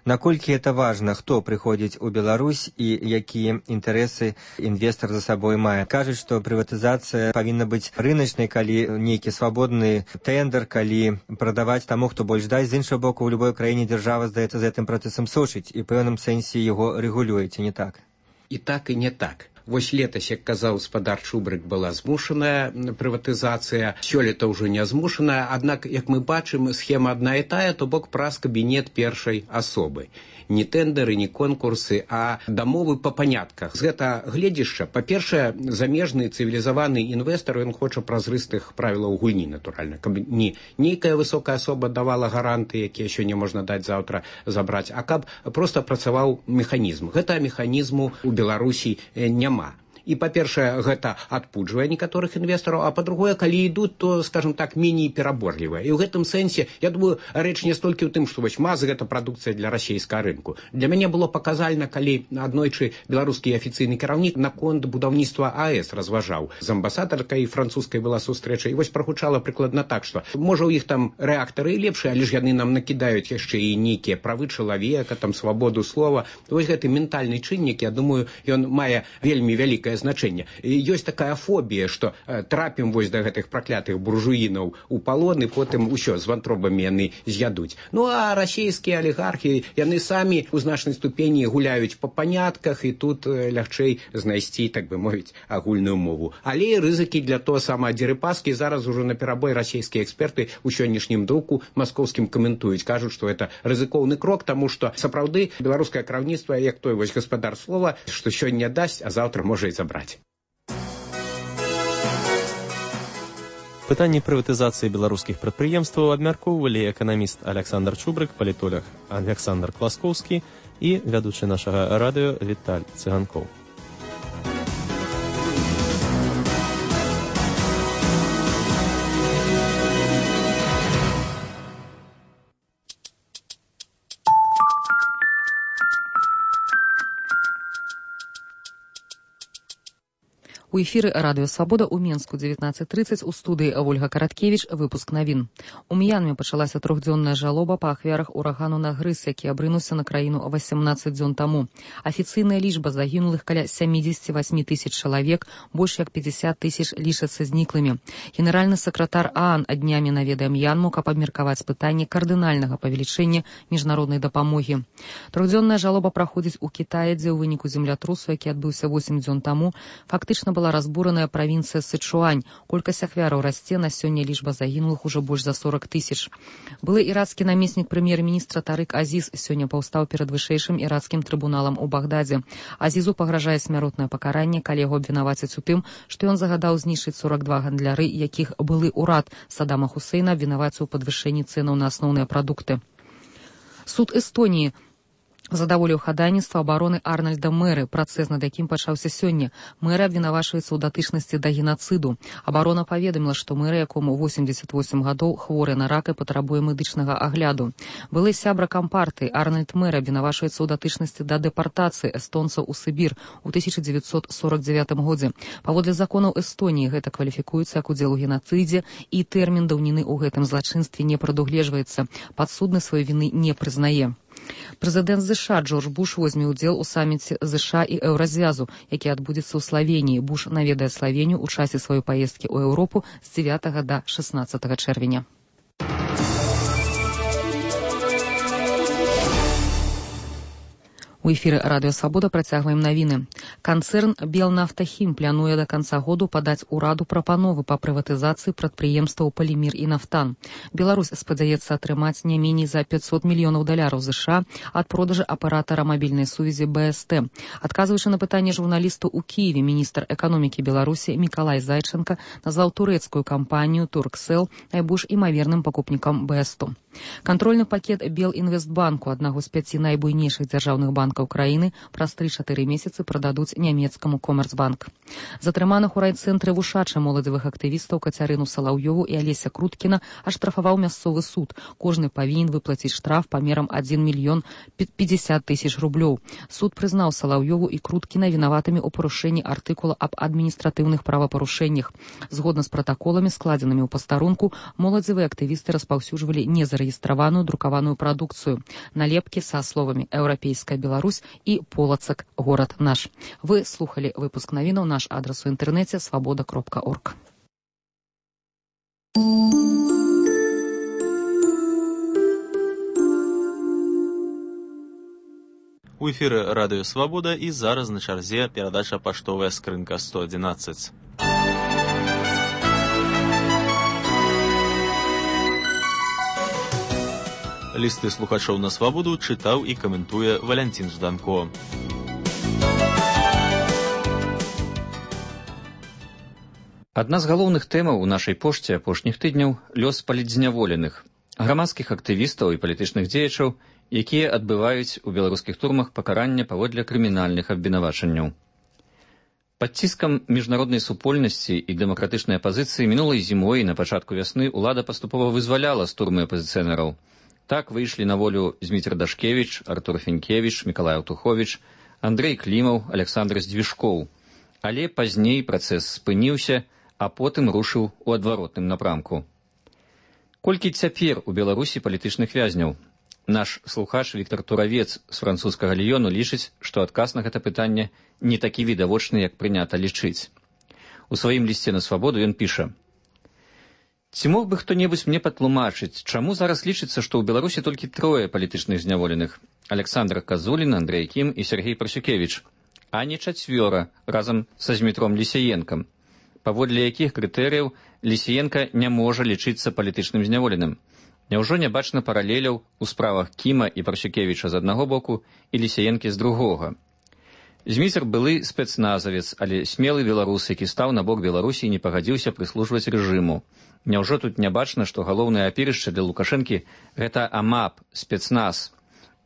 Наколькі это важна, хто прыходзіць у Беларусь і якія інтарэсы інвестар за сабой мае? Кажуць, што прыватызацыя павінна быць рыначнай, калі нейкі свабодны тэндер, калі прадаваць таму, хто больш дасць. З іншага боку, у любой краіне дзяржава, здаецца, з гэтым працэсам сочыць і пэўным сэнсе яго рэгулюе, ці не так? І так, і не так. Вось летась, як казаў спадар Чубрык, была змушаная прыватызацыя, сёлета ўжо не змушаная, аднак, як мы бачым, схема адна і тая, то бок праз кабінет першай асобы. Не тэндеры, не конкурсы, а дамовы па панятках. З гэта гледзішча, па-першае, замежны цывілізаваны інвестар, ён хоча празрыстых правілаў гульні, натуральна, каб не нейкая высокая асоба давала гаранты, якія сёння можна даць, заўтра забраць, а каб проста працаваў механізм. Гэта механізму у Беларусі няма. І, па-першае, гэта адпуджвае некаторых інвестараў, а па-другое, калі ідуць, то, скажем так, меней пераборлівыя. І ў гэтым сэнсе, я думаю, рэч не столькі ў тым, што вось МАЗ – гэта прадукцыя для расійскага рынку. Для мяне было паказальна, калі аднойчы беларускі афіцыйны кіраўнік наконт будаўніцтва АЭС разважаў. З амбасадаркай французскай была сустрэча, і вось прагучала прыкладна так, што можа ў іх там рэактары і лепшыя, але ж яны нам накідаюць яшчэ і нейкія правы чалавека, там свабоду слова. Вось гэты ментальны чыннік, я думаю, ён мае вельмі вялікае значэнне. Ёсць такая фобія, што трапім вось да гэтых праклятых буржуінаў у палон, і потым усё, з вантробамі яны з'ядуць. Ну, а расійскія алігархі, яны самі ў значнай ступені гуляюць па панятках, і тут лягчэй знайсці, так бы мовіць, агульную мову. Але і рызыкі для того самага Дзерыпаскі зараз ужо на перабой расійскія эксперты ў сённяшнім друку маскоўскім каментуюць, кажуць, што это рызыкоўны крок, таму што сапраўды беларускае кіраўніцтва, як той вось гаспадар слова, што сёння дасць, а заўтра можа і забраць. Пытанні прыватызацыі беларускіх прадпрыемстваў абмяркоўвалі эканаміст Александр Чубрык, палітолог Александр Класкоўскі і вядучы нашага радыё Віталь Цыганкоў. У эфіры радыё «Свабода» ў Менску 19:30 у студыі Ольга Караткевіч, выпуск навін. У М'янме пачалася трохдзённая жалоба па ахвярах урагану Нагрыз, які абрынуўся на краіну 18 дзён таму. Афіцыйная лічба загінулых каля 78 тысяч чалавек, больш як 50 тысяч лічацца зніклымі. Генеральны сакратар ААН днямі наведае М'янму, каб абмеркаваць пытанне кардынальнага павелічэння міжнароднай дапамогі. Трохдзённая жалоба праходзіць у Кітаі, дзе ў выніку землятрусу, які адбыўся 8 дзён таму, фактычна была разбураная правінцыя Сычуань. Колькасць ахвяраў расце, на сёння лічба загінулых ужо больш за 40 тысяч. Былы ірацкі намеснік прэм'ер-міністра Тарык Азіз сёння паўстаў перад вышэйшым ірацкім трыбуналам у Багдадзе. Азізу пагражае смяротнае пакаранне, калі яго абвінавацяць у тым, што ён загадаў знішчыць 42 гандляры, якіх былы ўрад Саддама Хусейна абвінаваціў у падвышэнні цэнаў на асноўныя прадукты. Суд Эстоніі задаволіў хадайніцтва абароны Арнальда Мэры, працэс над якім пачаўся сёння. Мэра абвінавачваецца ў датычнасці да генацыду. Абарона паведаміла, што мэра, якому 88 гадоў, хворы на рак і патрабуе медычнага агляду. Былы сябра кампартыі Арнальд Мэр абвінавачваецца ў датычнасці да дэпартацыі эстонцаў у Сібір у 1949 годзе. Паводле законаў Эстоніі гэта кваліфікуецца як удзел у генацыдзе, і тэрмін даўніны ў гэтым злачынстве не прадугледжваецца. Падсудны сваёй віны не прызнае. Прэзідэнт США Джордж Буш возьме ўдзел у саміце США і Еўразвязу, які адбудзецца ў Славеніі. Буш наведае Славенію ў часе сваёй паездкі ў Еўропу з 9 да 16 чэрвеня. У эфіры радыё «Свабода» працягваем навіны. Канцэрн «Белнафтахім» плануе да канца году падаць ураду прапановы па прыватызацыі прадпрыемстваў «Полімір» і «Нафтан». Беларусь спадзяецца атрымаць не меней за $500 мільёнаў США ад продажы аператара мабільнай сувязі БСТ. Адказваючы на пытанне журналісту ў Кіеве, міністр эканомікі Беларусі Мікалай Зайченка назваў турэцкую кампанію «Турксел» найбольш імаверным пакупнікам БСТу. Кантрольны пакет Белінвестбанку, аднаго з 5 найбуйнейшых дзяржаўных банкаў краіны, праз 3-4 месяцы прададуць нямецкаму Коммерцбанк. Затрыманых у райцэнтры вушача моладзевых актывістаў Кацярыну Салаўёву і Алеся Круткіна аштрафаваў мясцовы суд. Кожны павінен выплаціць штраф памерам 1 мільён 50 тысяч рублёў. Суд прызнаў Салаўёву і Круткіна вінаватымі ў парушэнні артыкула аб адміністратыўных правапарушэннях. Згодна з пратаколамі, складзенымі ў пастарунку, моладзевыя актывісты распаўсюджвалі незарэгістраваную друкаваную прадукцыю. Налепкі са словамі «Еўрапейская Беларусь» і «Полацак. Горад наш». Вы слухали выпуск навінаў. Наш адрес у інтэрнэце свабода.орг. У эфіры радыё «Свабода» і зараз на чарзе перадача «Паштовая скрынка 111». Лісты слухачоў на «Свабоду» чытаў і каментуе Валянцін Жданко. Адна з галоўных тэмаў у нашай пошце апошніх тыдняў – лёс палітзняволеных, грамадскіх актывістаў і палітычных дзеячаў, якія адбываюць у беларускіх турмах пакарання паводле крымінальных абвінавачанняў. Пад ціскам міжнароднай супольнасці і дэмакратычнай апазіцыі мінулай зімой і на пачатку вясны ўлада паступова вызваляла з турмы апазіцыянераў. Так выйшлі на волю Зміцер Дашкевіч, Артур Фенкевіч, Мікалай Аўтуховіч, Андрэй Клімаў, Александр Здвіжкоў. Але пазней працэс спыніўся, а потым рушыў у адваротным напрамку. Колькі цяпер у Беларусі палітычных вязняў? Наш слухач Віктор Туравец з французскага Ліёну лічыць, што адказ на гэта пытанне не такі відавочны, як прынята лічыць. У сваім лісце на «Свабоду» ён піша: «Ці мог бы хто-небудзь мне патлумачыць, чаму зараз лічыцца, што ў Беларусі толькі 3 палітычных зняволеных – Александр Казулін, Андрэй Кім і Сергей Прасюкевіч, а не 4 разам са Змітром Лісіенкам, паводле якіх крытэрыяў Лісіенка не можа лічыцца палітычным зняволеным? Няўжо не бачна паралеляў у справах Кіма і Прасюкевіча з аднаго боку і Лісіенкі з другога? Зміцер былы спецназавец, але смелы беларус, які стаў на бок Беларусі і не пагадзіўся прыслужваць рэжыму. Няўжо тут не бачна, што галоўнае апірышча для Лукашэнкі – гэта АМАП, спецназ.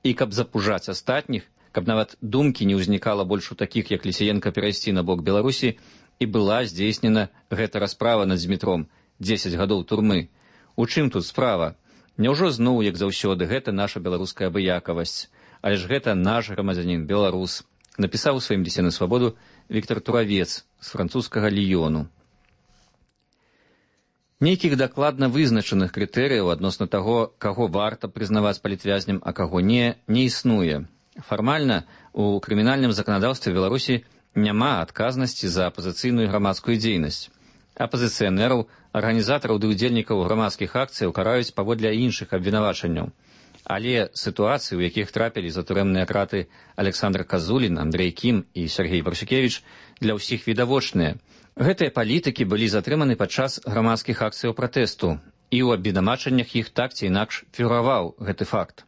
І каб запужаць астатніх, каб нават думкі не ўзнікала больш у такіх, як Лісіенка, перайсці на бок Беларусі, і была здзейснена гэта расправа над Змітром – 10 гадоў турмы. У чым тут справа? Няўжо зноў, як заўсёды, гэта наша беларуская абыякавасць? Але ж гэта наш грамадзянін, беларус, напісаў у сваім лісце на «Свабоду» Віктор Туравец з французскага Ліёну. Нейкіх дакладна вызначаных крытэрыяў адносна таго, каго варта прызнаваць палітвязням, а каго не існуе. Фармальна у крымінальным заканадаўстве Беларусі няма адказнасці за апазіцыйную грамадскую дзейнасць. Апазіцыянераў, арганізатараў ды ўдзельнікаў грамадскіх акцыяў караюць паводле іншых абвінавачанняў. Але сітуацыі, у якіх трапілі за турэмныя краты Александр Казулін, Андрэй Кім і Сергей Прасюкевіч, для ўсіх відавочныя. Гэтыя палітыкі былі затрыманы падчас грамадскіх акцыяў пратэсту, і ў абвінавачаннях іх так ці інакш фігураваў гэты факт.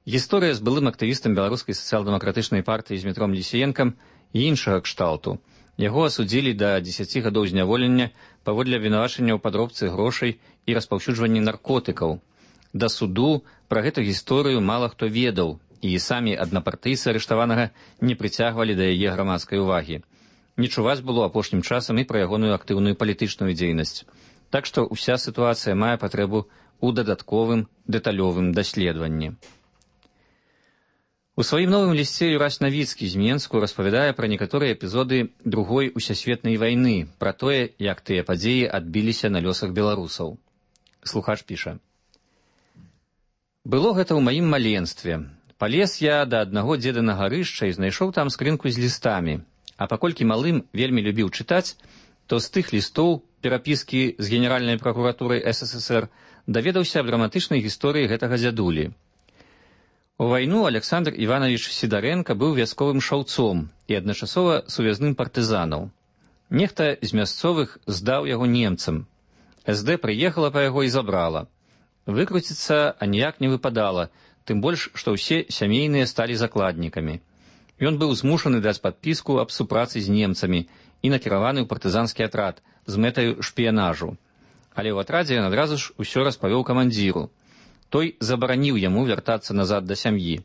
Гісторыя з былым актывістам беларускай сацыял-дэмакратычнай партыі Змітром Лісіенкам іншага кшталту. Яго асудзілі да 10 гадоў зняволення паводле абвінавачання ў падробцы грошай і распаўсюджванні наркотыкаў. Да суду пра гэту гісторыю мала хто ведаў, і самі аднапартыйцы арыштаванага не прыцягвалі да яе грамадскай увагі. Не чуваць было апошнім часам і пра ягоную актыўную палітычную дзейнасць. Так што ўся сітуацыя мае патрэбу ў дадатковым дэталёвым даследаванні. У сваім новым лісце Юрась Навіцкі з Менску распавядае пра некаторыя эпізоды Другой усесветнай вайны, пра тое, як тыя падзеі адбіліся на лёсах беларусаў. Слухач піша: «Было гэта ў маім маленстве. Палез я да аднаго дзеда на гарышча і знайшоў там скрынку з лістамі. А паколькі малым вельмі любіў чытаць, то з тых лістоў перапіскі з Генеральнай пракуратурай СССР даведаўся аб драматычнай гісторыі гэтага дзядулі. У вайну Александр Іванович Сідарэнка быў вясковым шаўцом і адначасова сувязным партызанаў. Нехта з мясцовых здаў яго немцам. СД прыехала па яго і забрала. Выкруціцца аніяк не выпадала, тым больш, што ўсе сямейныя сталі закладнікамі. Ён быў змушаны даць падпіску аб супрацы з немцамі і накіраваны ў партызанскі атрад з мэтаю шпіянажу. Але ў атрадзе ён адразу ж усё распавёў камандзіру. Той забараніў яму вяртацца назад да сям'і.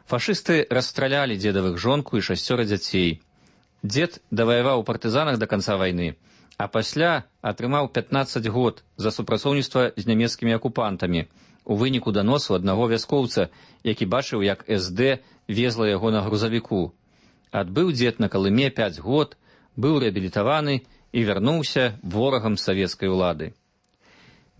Фашысты расстралялі дзедавых жонку і 6 дзяцей. Дзед даваяваў у партызанах да канца вайны, а пасля атрымаў 15 год за супрацоўніцтва з нямецкімі акупантамі у выніку даносу аднаго вяскоўца, які бачыў, як СД везла яго на грузавіку. Адбыў дзед на Калыме 5 год, быў рэабілітаваны і вярнуўся ворагам савецкай улады.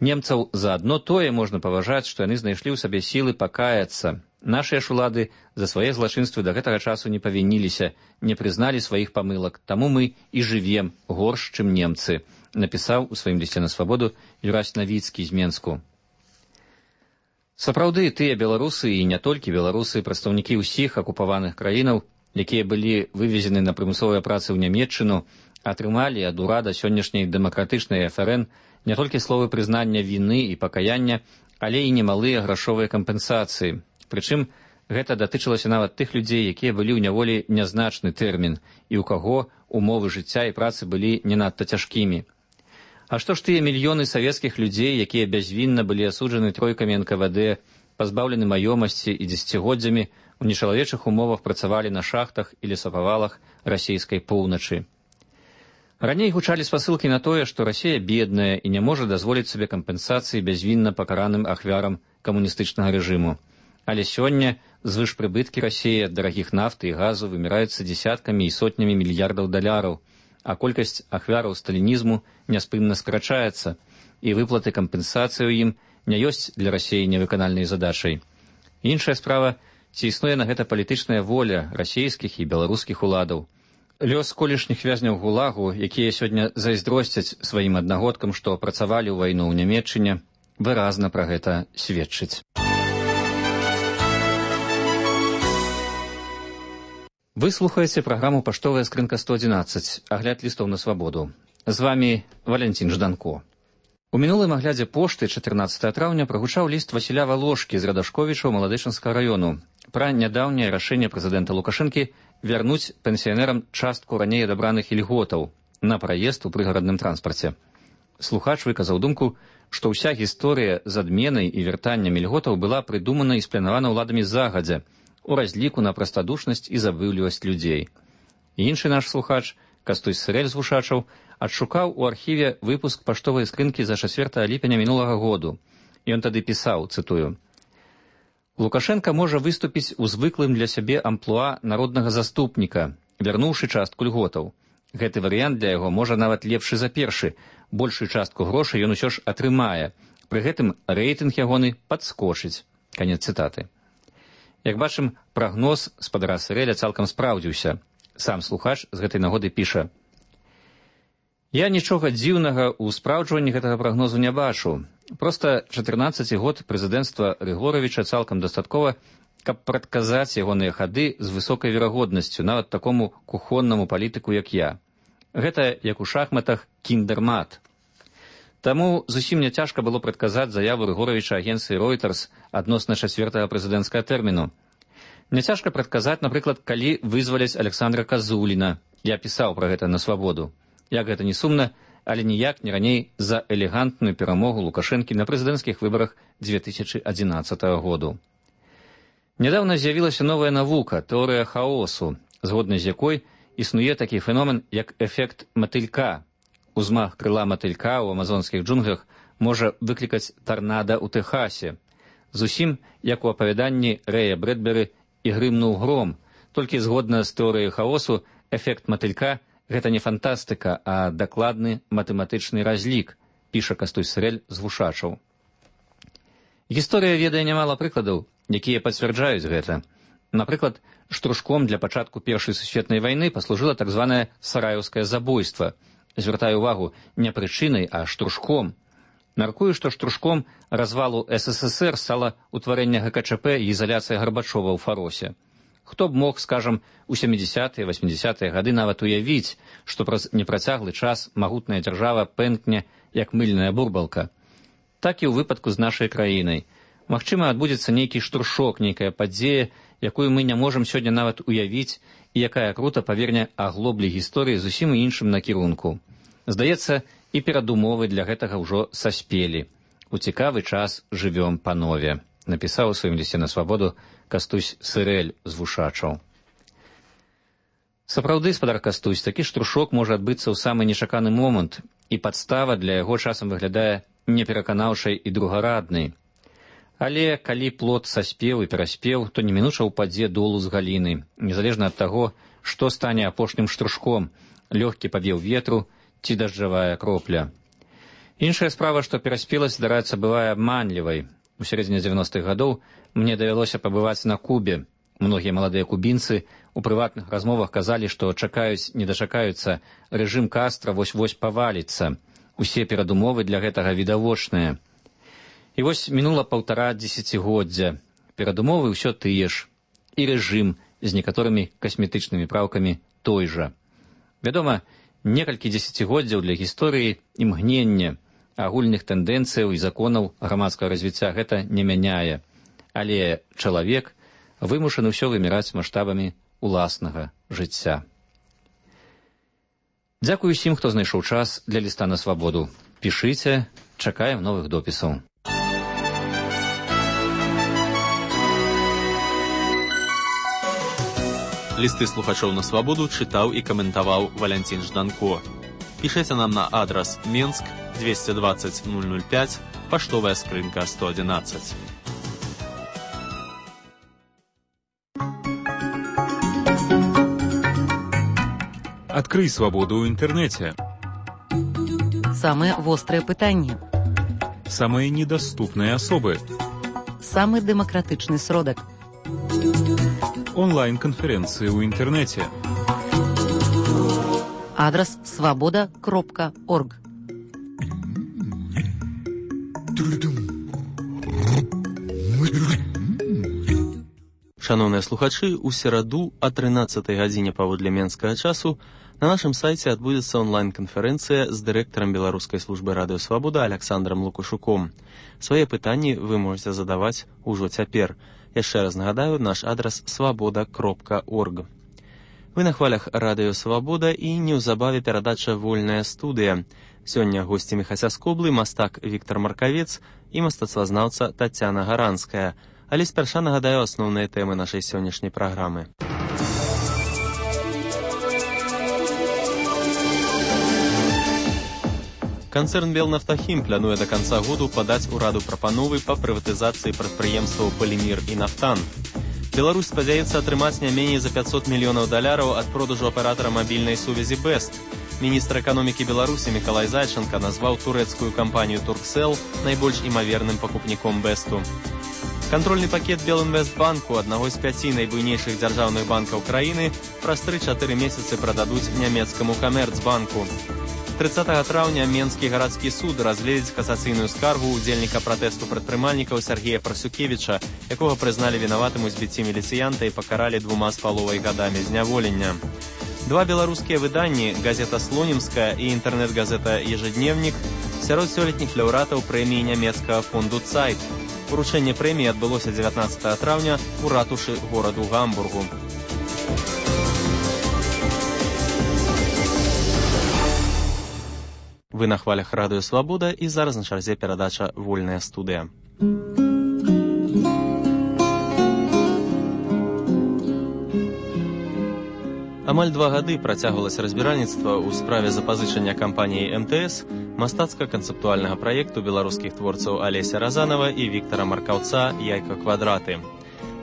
Немцаў за адно тое можна паважаць, што яны знайшлі ў сабе сілы пакаяцца. Нашыя ж улады за свае злачынствы да гэтага часу не павініліся, не прызналі сваіх памылак, таму мы і жывем горш, чым немцы, напісаў у сваім лісце на «Свабоду» Юрась Навіцкі з Менску. Сапраўды, тыя беларусы і не толькі беларусы, прадстаўнікі ўсіх акупаваных краінаў, якія былі вывезены на прымусовыя працы ў Нямецчыну, атрымалі ад урада сённяшняй дэмакратычнай ФРН не толькі словы прызнання віны і пакаяння, але і немалыя грашовыя кампенсацыі. Прычым, гэта датычылася нават тых людзей, якія былі ў няволі нязначны тэрмін і ў каго умовы жыцця і працы былі не надта цяжкімі. А што ж тыя мільёны савецкіх людзей, якія бязвінна былі асуджаны тройкамі НКВД, пазбаўлены маёмасці і дзесяцігоддзямі, у нечалавечых умовах працавалі на шахтах і лесапавалах расійскай поўначы. Раней гучалі спасылкі на тое, што Расія бедная і не можа дазволіць сабе кампенсацыі бязвінна пакараным ахвярам камуністычнага рэжыму. Але сёння звышпрыбыткі Расіі ад дарагіх нафты і газу выміраюцца дзесяткамі і сотнямі мільярдаў даляраў, а колькасць ахвяраў сталінізму няспынна скарачаецца, і выплаты кампенсацыі ў ім не ёсць для Расіі невыканальнай задачай. Іншая справа, ці існуе на гэта палітычная воля расійскіх і беларускіх уладаў. Лёс колішніх вязняў гулагу, якія сёння зайздросцяць сваім аднагодкам, што працавалі ў вайну ў Нямецчыне, выразна пра гэта сведчыць. Вы слухаеце праграму «Паштовая скрынка 111», агляд лістоў на свабоду. З вамі Валянцін Жданко. У мінулым аглядзе пошты 14 траўня прагучаў ліст Васіля Валошкі з Радашковіча ў Маладычынскага раёну пра нядаўняе рашэнне прэзідэнта Лукашэнкі вярнуць пенсіянерам частку раней адабраных ільготаў на праезд у прыгарадным транспарце. Слухач выказаў думку, што ўся гісторыя з адменай і вяртаннем ільготаў была прыдумана і спланавана ўладамі загадзя, у разліку на прастадушнасць і забыўлівасць людзей. Іншы наш слухач, Кастуй Сырэль з Вушачаў, адшукаў у архіве выпуск паштовай скрынкі за 4 ліпеня мінулага году. Ён тады пісаў, цытую: «Лукашенка можа выступіць у звыклым для сябе амплуа народнага заступніка, вярнуўшы частку льготаў. Гэты варыянт для яго можа нават лепшы за першы. Большую частку грошай ён усё ж атрымае. Пры гэтым рэйтынг ягоны падскочыць». Канец цытаты. Як бачым, прагноз спадара Сырэля цалкам спраўдзіўся. Сам слухач з гэтай нагоды піша: «Я нічога дзіўнага ў спраўджванні гэтага прагнозу не бачу. Проста 14 год прэзідэнцтва Рыгоравіча цалкам дастаткова, каб прадказаць ягоныя хады з высокай верагоднасцю нават такому кухоннаму палітыку, як я. Гэта, як у шахматах, кіндэрмат. Таму зусім не цяжка было прадказаць заяву Рыгоравіча агенцыі Reuters адносна 4-го прэзідэнцкага тэрміну. Няцяжка прадказаць, напрыклад, калі вызваляць Александра Казуліна. Я пісаў пра гэта на свабоду. Як гэта не сумна, але ніяк не раней за элегантную перамогу Лукашэнкі на прэзідэнцкіх выбарах 2011 году. Нядаўна з'явілася новая навука, тэорыя хаосу, згодна з якой існуе такі феномен, як эфект матылька. Узмах крыла матылька ў амазонскіх джунглях можа выклікаць тарнада ў Тэхасе. Зусім, як у апавяданні Рэя Брэдберы «І грымнуў гром», толькі згодна з тэорыяй хаосу, эфект матылька – гэта не фантастыка, а дакладны матэматычны разлік, піша Кастуй Сырэль з Вушачаў. Гісторыя ведае нямала прыкладаў, якія пацвярджаюць гэта. Напрыклад, штуршком для пачатку Першай сусветнай вайны паслужыла так званае сараяўскае забойства. Звяртаю увагу, не прычынай, а штуршком. Мяркую, што штуршком развалу СССР стала ўтварэнне ГКЧП і ізаляцыя Гарбачова ў Фаросе. Хто б мог, скажам, у 70-е, 80-е гады нават уявіць, што праз непрацяглы час магутная дзяржава пэнкне, як мыльная бурбалка. Так і ў выпадку з нашай краінай. Магчыма, адбудзецца нейкі штуршок, нейкая падзея, якую мы не можам сёння нават уявіць, і якая крута паверне аглоблі гісторыі зусім іншым накірунку. Здаецца, і перадумовы для гэтага ўжо саспелі. У цікавы час жывём панове, напісаў у сваім лісце на свабоду Кастусь Сырэль з Вушачаў. Сапраўды, спадар Кастусь, такі штуршок можа адбыцца ў самы нечаканы момант, і падстава для яго часам выглядае непераканаўшай і другараднай. Але калі плод саспеў і пераспеў, то немінуча ўпадзе долу з галіны, незалежна ад таго, што стане апошнім штуршком, лёгкі павеў ветру ці дажджавая кропля. Іншая справа, што пераспеласць, здараецца, бывае абманлівай. У сярэдзіне 90-х гадоў мне давялося пабываць на Кубе. Многія маладыя кубінцы у прыватных размовах казалі, што чакаюць, не дачакаюцца, рэжым Кастра вось-вось паваліцца. Усе перадумовы для гэтага відавочныя. І вось мінула 1,5 дзесяцігоддзя. Перадумовы ўсё тыя ж. І рэжым з некаторымі касметычнымі праўкамі той жа. Вядома, некалькі дзесяцігоддзяў для гісторыі імгнення, агульных тэндэнцыяў і законаў грамадскага развіцця гэта не мяняе. Але чалавек вымушаны ўсё выміраць маштабамі уласнага жыцця. Дзякую усім, хто знайшоў час для ліста на свабоду. Пішыце, чакаем новых допісаў. Лісты слухачоў на свабоду чытаў і каментаваў Валянцін Жданко. Пішыце нам на адрас Менск 220 005, паштовая скрынка 111. Адкрый свабоду ў інтэрнэце. Самыя вострыя пытанні. Самыя недаступныя асобы. Самы дэмакратычны сродак. Онлайн-канферэнцыі ў інтэрнэце. Адрас свабода.орг. Шановныя слухачы, у сераду о 13 гадзіне паводле менскага часу на нашым сайце адбудзецца онлайн-канферэнцыя з дырэктарам Беларускай службы радыё Свабода Аляксандрам Лукашуком. Свае пытанні вы можете задаваць ужо цяпер. Яшчэ раз нагадаю, наш адрас свабода.орг. Вы на хвалях радыё Свабода і неўзабаве перадача «Вольная студыя». Сёння госцямі Хасяскоблы мастак Віктар Маркавец і мастацтвазнаўца Тацяна Гаранская. Але спярша нагадаю асноўныя тэмы нашай сённяшняй праграмы. Канцэрн «Белнафтахім» плануе да канца году падаць ураду прапановы па прыватызацыі прадпрыемстваў «Полімір» і «Нафтан». Беларусь спадзяецца атрымаць не меней за $500 мільёнаў ад продажу аператара мабільнай сувязі «Бест». Міністр эканомікі Беларусі Мікалай Зайчанка назваў турэцкую кампанію «Турксел» найбольш імаверным пакупніком «Бесту». Кантрольны пакет Белінвестбанку, аднаго з 5 найбуйнейшых дзяржаўных банкаў краіны, праз 3-4 месяцы прададуць нямецкаму Камерцбанку. 30 траўня Менскі гарадскі суд разгледзіць касацыйную скаргу ўдзельніка пратэсту прадпрымальнікаў Сергея Прасюкевіча, якога прызналі вінаватым у збіцці міліцыянта і пакаралі 2,5 гадамі зняволення. Два беларускія выданні, газета «Слонімская» і інтэрнэт-газета «Ежедневнік», сярод сёлетніх лаўрэатаў прэміі нямецкага фонду «Цайт». Уручэнне прэміі адбылося 19 траўня у ратушы гораду Гамбургу. Вы на хвалях радыё Свабода і зараз на чарзе перадача «Вольная студыя». Амаль 2 гады працягвалася разбіральніцтва ў справе запазычання кампаніяй МТС мастацка-канцэптуальнага праекту беларускіх творцаў Алеся Разанова і Віктара Маркаўца «Яйка-квадраты».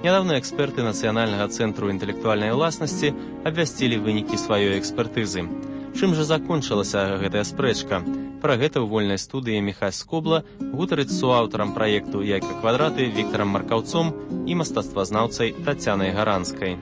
Нядаўна эксперты Нацыянальнага цэнтру інтэлектуальнай уласнасці абвясцілі вынікі сваёй экспертызы. Чым жа закончылася гэтая спрэчка? Пра гэта ў вольнай студыі Міхась Скобла гутарыць з суаўтарам праекту «Яйка-квадраты» Віктарам Маркаўцом і мастацтвазнаўцай Тацянай Гаранскай.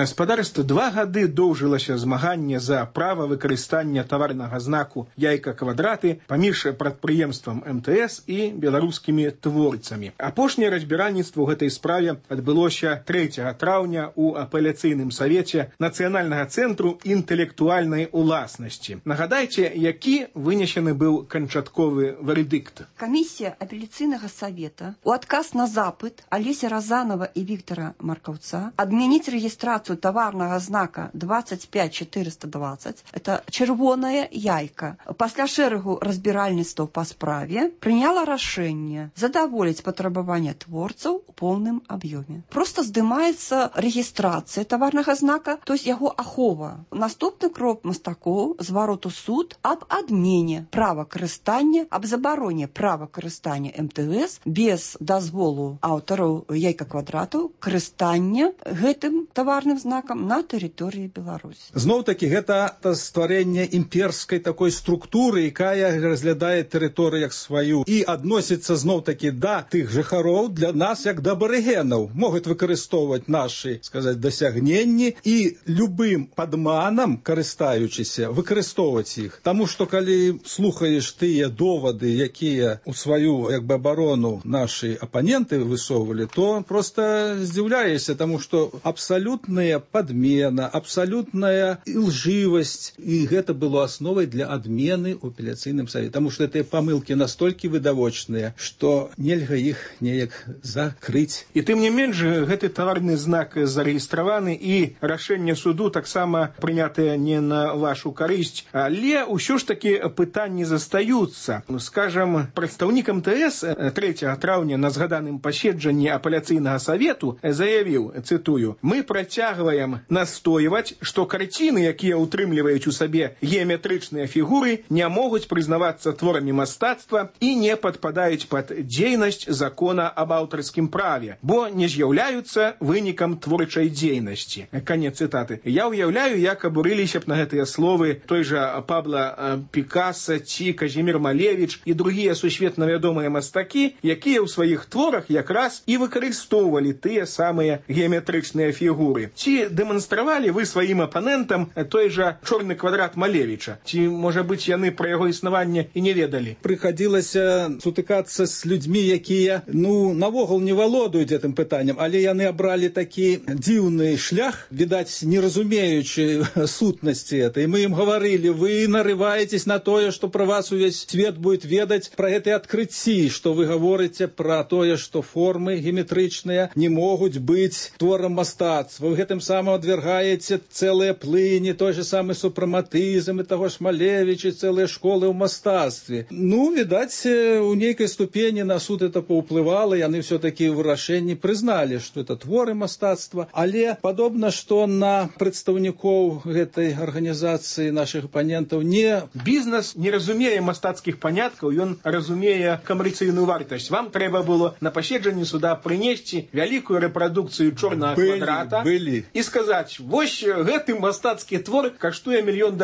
Спадарства, 2 гады доўжылася змаганне за права выкарыстання таварнага знаку «Яйка-квадраты» паміж прадпрыемствам МТС і беларускімі творцамі. Апошняе разбіральніцтва ў гэтай справе адбылося 3 траўня ў апеляцыйным савеце Нацыянальнага цэнтру інтэлектуальнай уласнасці. Нагадайце, які вынесены быў канчатковы вердикт. Камісія апеляцыйнага савета у адказ на запыт Алеся Разанова і Віктара Маркаўца адмяніць рэгістрацыю таварнага знака 25420, это чырвонае яйка, пасля шэрагу разбіральніцтваў па справе прыняла рашэнне задаволіць патрабаванне творцаў у поўным аб'ёме. Просто здымаецца рэгістрацыя таварнага знака, то есть яго ахова. Наступны крок мастакоў зварот у суд аб адмене права карыстання, аб забароне права карыстання МТС без дазволу аўтараў яйка-квадратаў карыстання гэтым таварным геаметрычным знакам на тэрыторыі Беларусі. Зноў-такі гэта стварэнне імперскай такой структуры, якая разглядае тэрыторыю як сваю і адносіцца зноў-такі да тых жыхароў для нас як да абарыгенаў, могуць выкарыстоўваць нашы, сказаць, дасягненні і любым падманам, карыстаючыся, выкарыстоўваць іх. Таму што калі слухаеш тыя довады, якія у сваю як бы абарону нашы апаненты высоўвалі, то просто здзіўляешся, таму што абсалютная падмена, абсалютная лжывасць, і гэта было асновай для адмены ў апеляцыйным савеце, таму што гэтыя памылкі настолькі відавочныя, што нельга іх неяк закрыць. І тым не менш, гэты таварны знак зарэгістраваны, і рашэнне суду таксама прынятае не на вашу карысць, але ўсё ж такі пытанні застаюцца. Скажам, прадстаўнік МТС 3 траўня на згаданым паседжанні апеляцыйнага савету заявіў, цытую: «Мы працягваем настойваць, што карціны, якія ўтрымліваюць у сабе геаметрычныя фігуры, не могуць прызнавацца творамі мастацтва і не падпадаюць пад дзейнасць закона аб аўтарскім праве, бо не з'яўляюцца вынікам творчай дзейнасці». Канец цытаты. Я ўяўляю, як абурыліся б на гэтыя словы той жа Пабло Пікаса ці Казімір Малевіч і другія сусветна вядомыя мастакі, якія ў сваіх творах якраз і выкарыстоўвалі тыя самыя геаметрычныя фігуры. Ці дэманстравалі вы сваім апанентам той жа чорны квадрат Малевіча? Ці, можа быць, яны пра яго існаванне і не ведалі? Прыхадзілася сутыкацца з людзьмі, якія, навогул не валодаюць гэтым пытаннем, але яны абралі такі дзіўны шлях, відаць, не разумеючы сутнасці этой. Мы ім гаварылі: вы нарываетесь на тое, што пра вас увесь свет будет ведаць, пра гэтыя адкрыцці, што вы гаворыце пра тое, што формы геаметрычныя не могуць быць творам мастацтва. Вы гэтым самым адвергаеце цэлыя плыні, той же самы супраматызм і таго ж Малевіча, цэлыя школы ў мастацтве. Відаць, у нейкай ступені на суд это паўплывала, яны все-таки ў вырашэнні прызналі, што это творы мастацтва, але падобна, што на прадстаўнікоў гэтай арганізацыі нашых апанентаў не... Бізнес не разумее мастацкіх паняткаў, ён разумее камерцыйную вартасць. Вам трэба было на паседжанні суда прынесці вялікую рэпрадукцыю чорнага квадрата і сказаць: вось гэты мастацкі твор каштуе $1 мільён.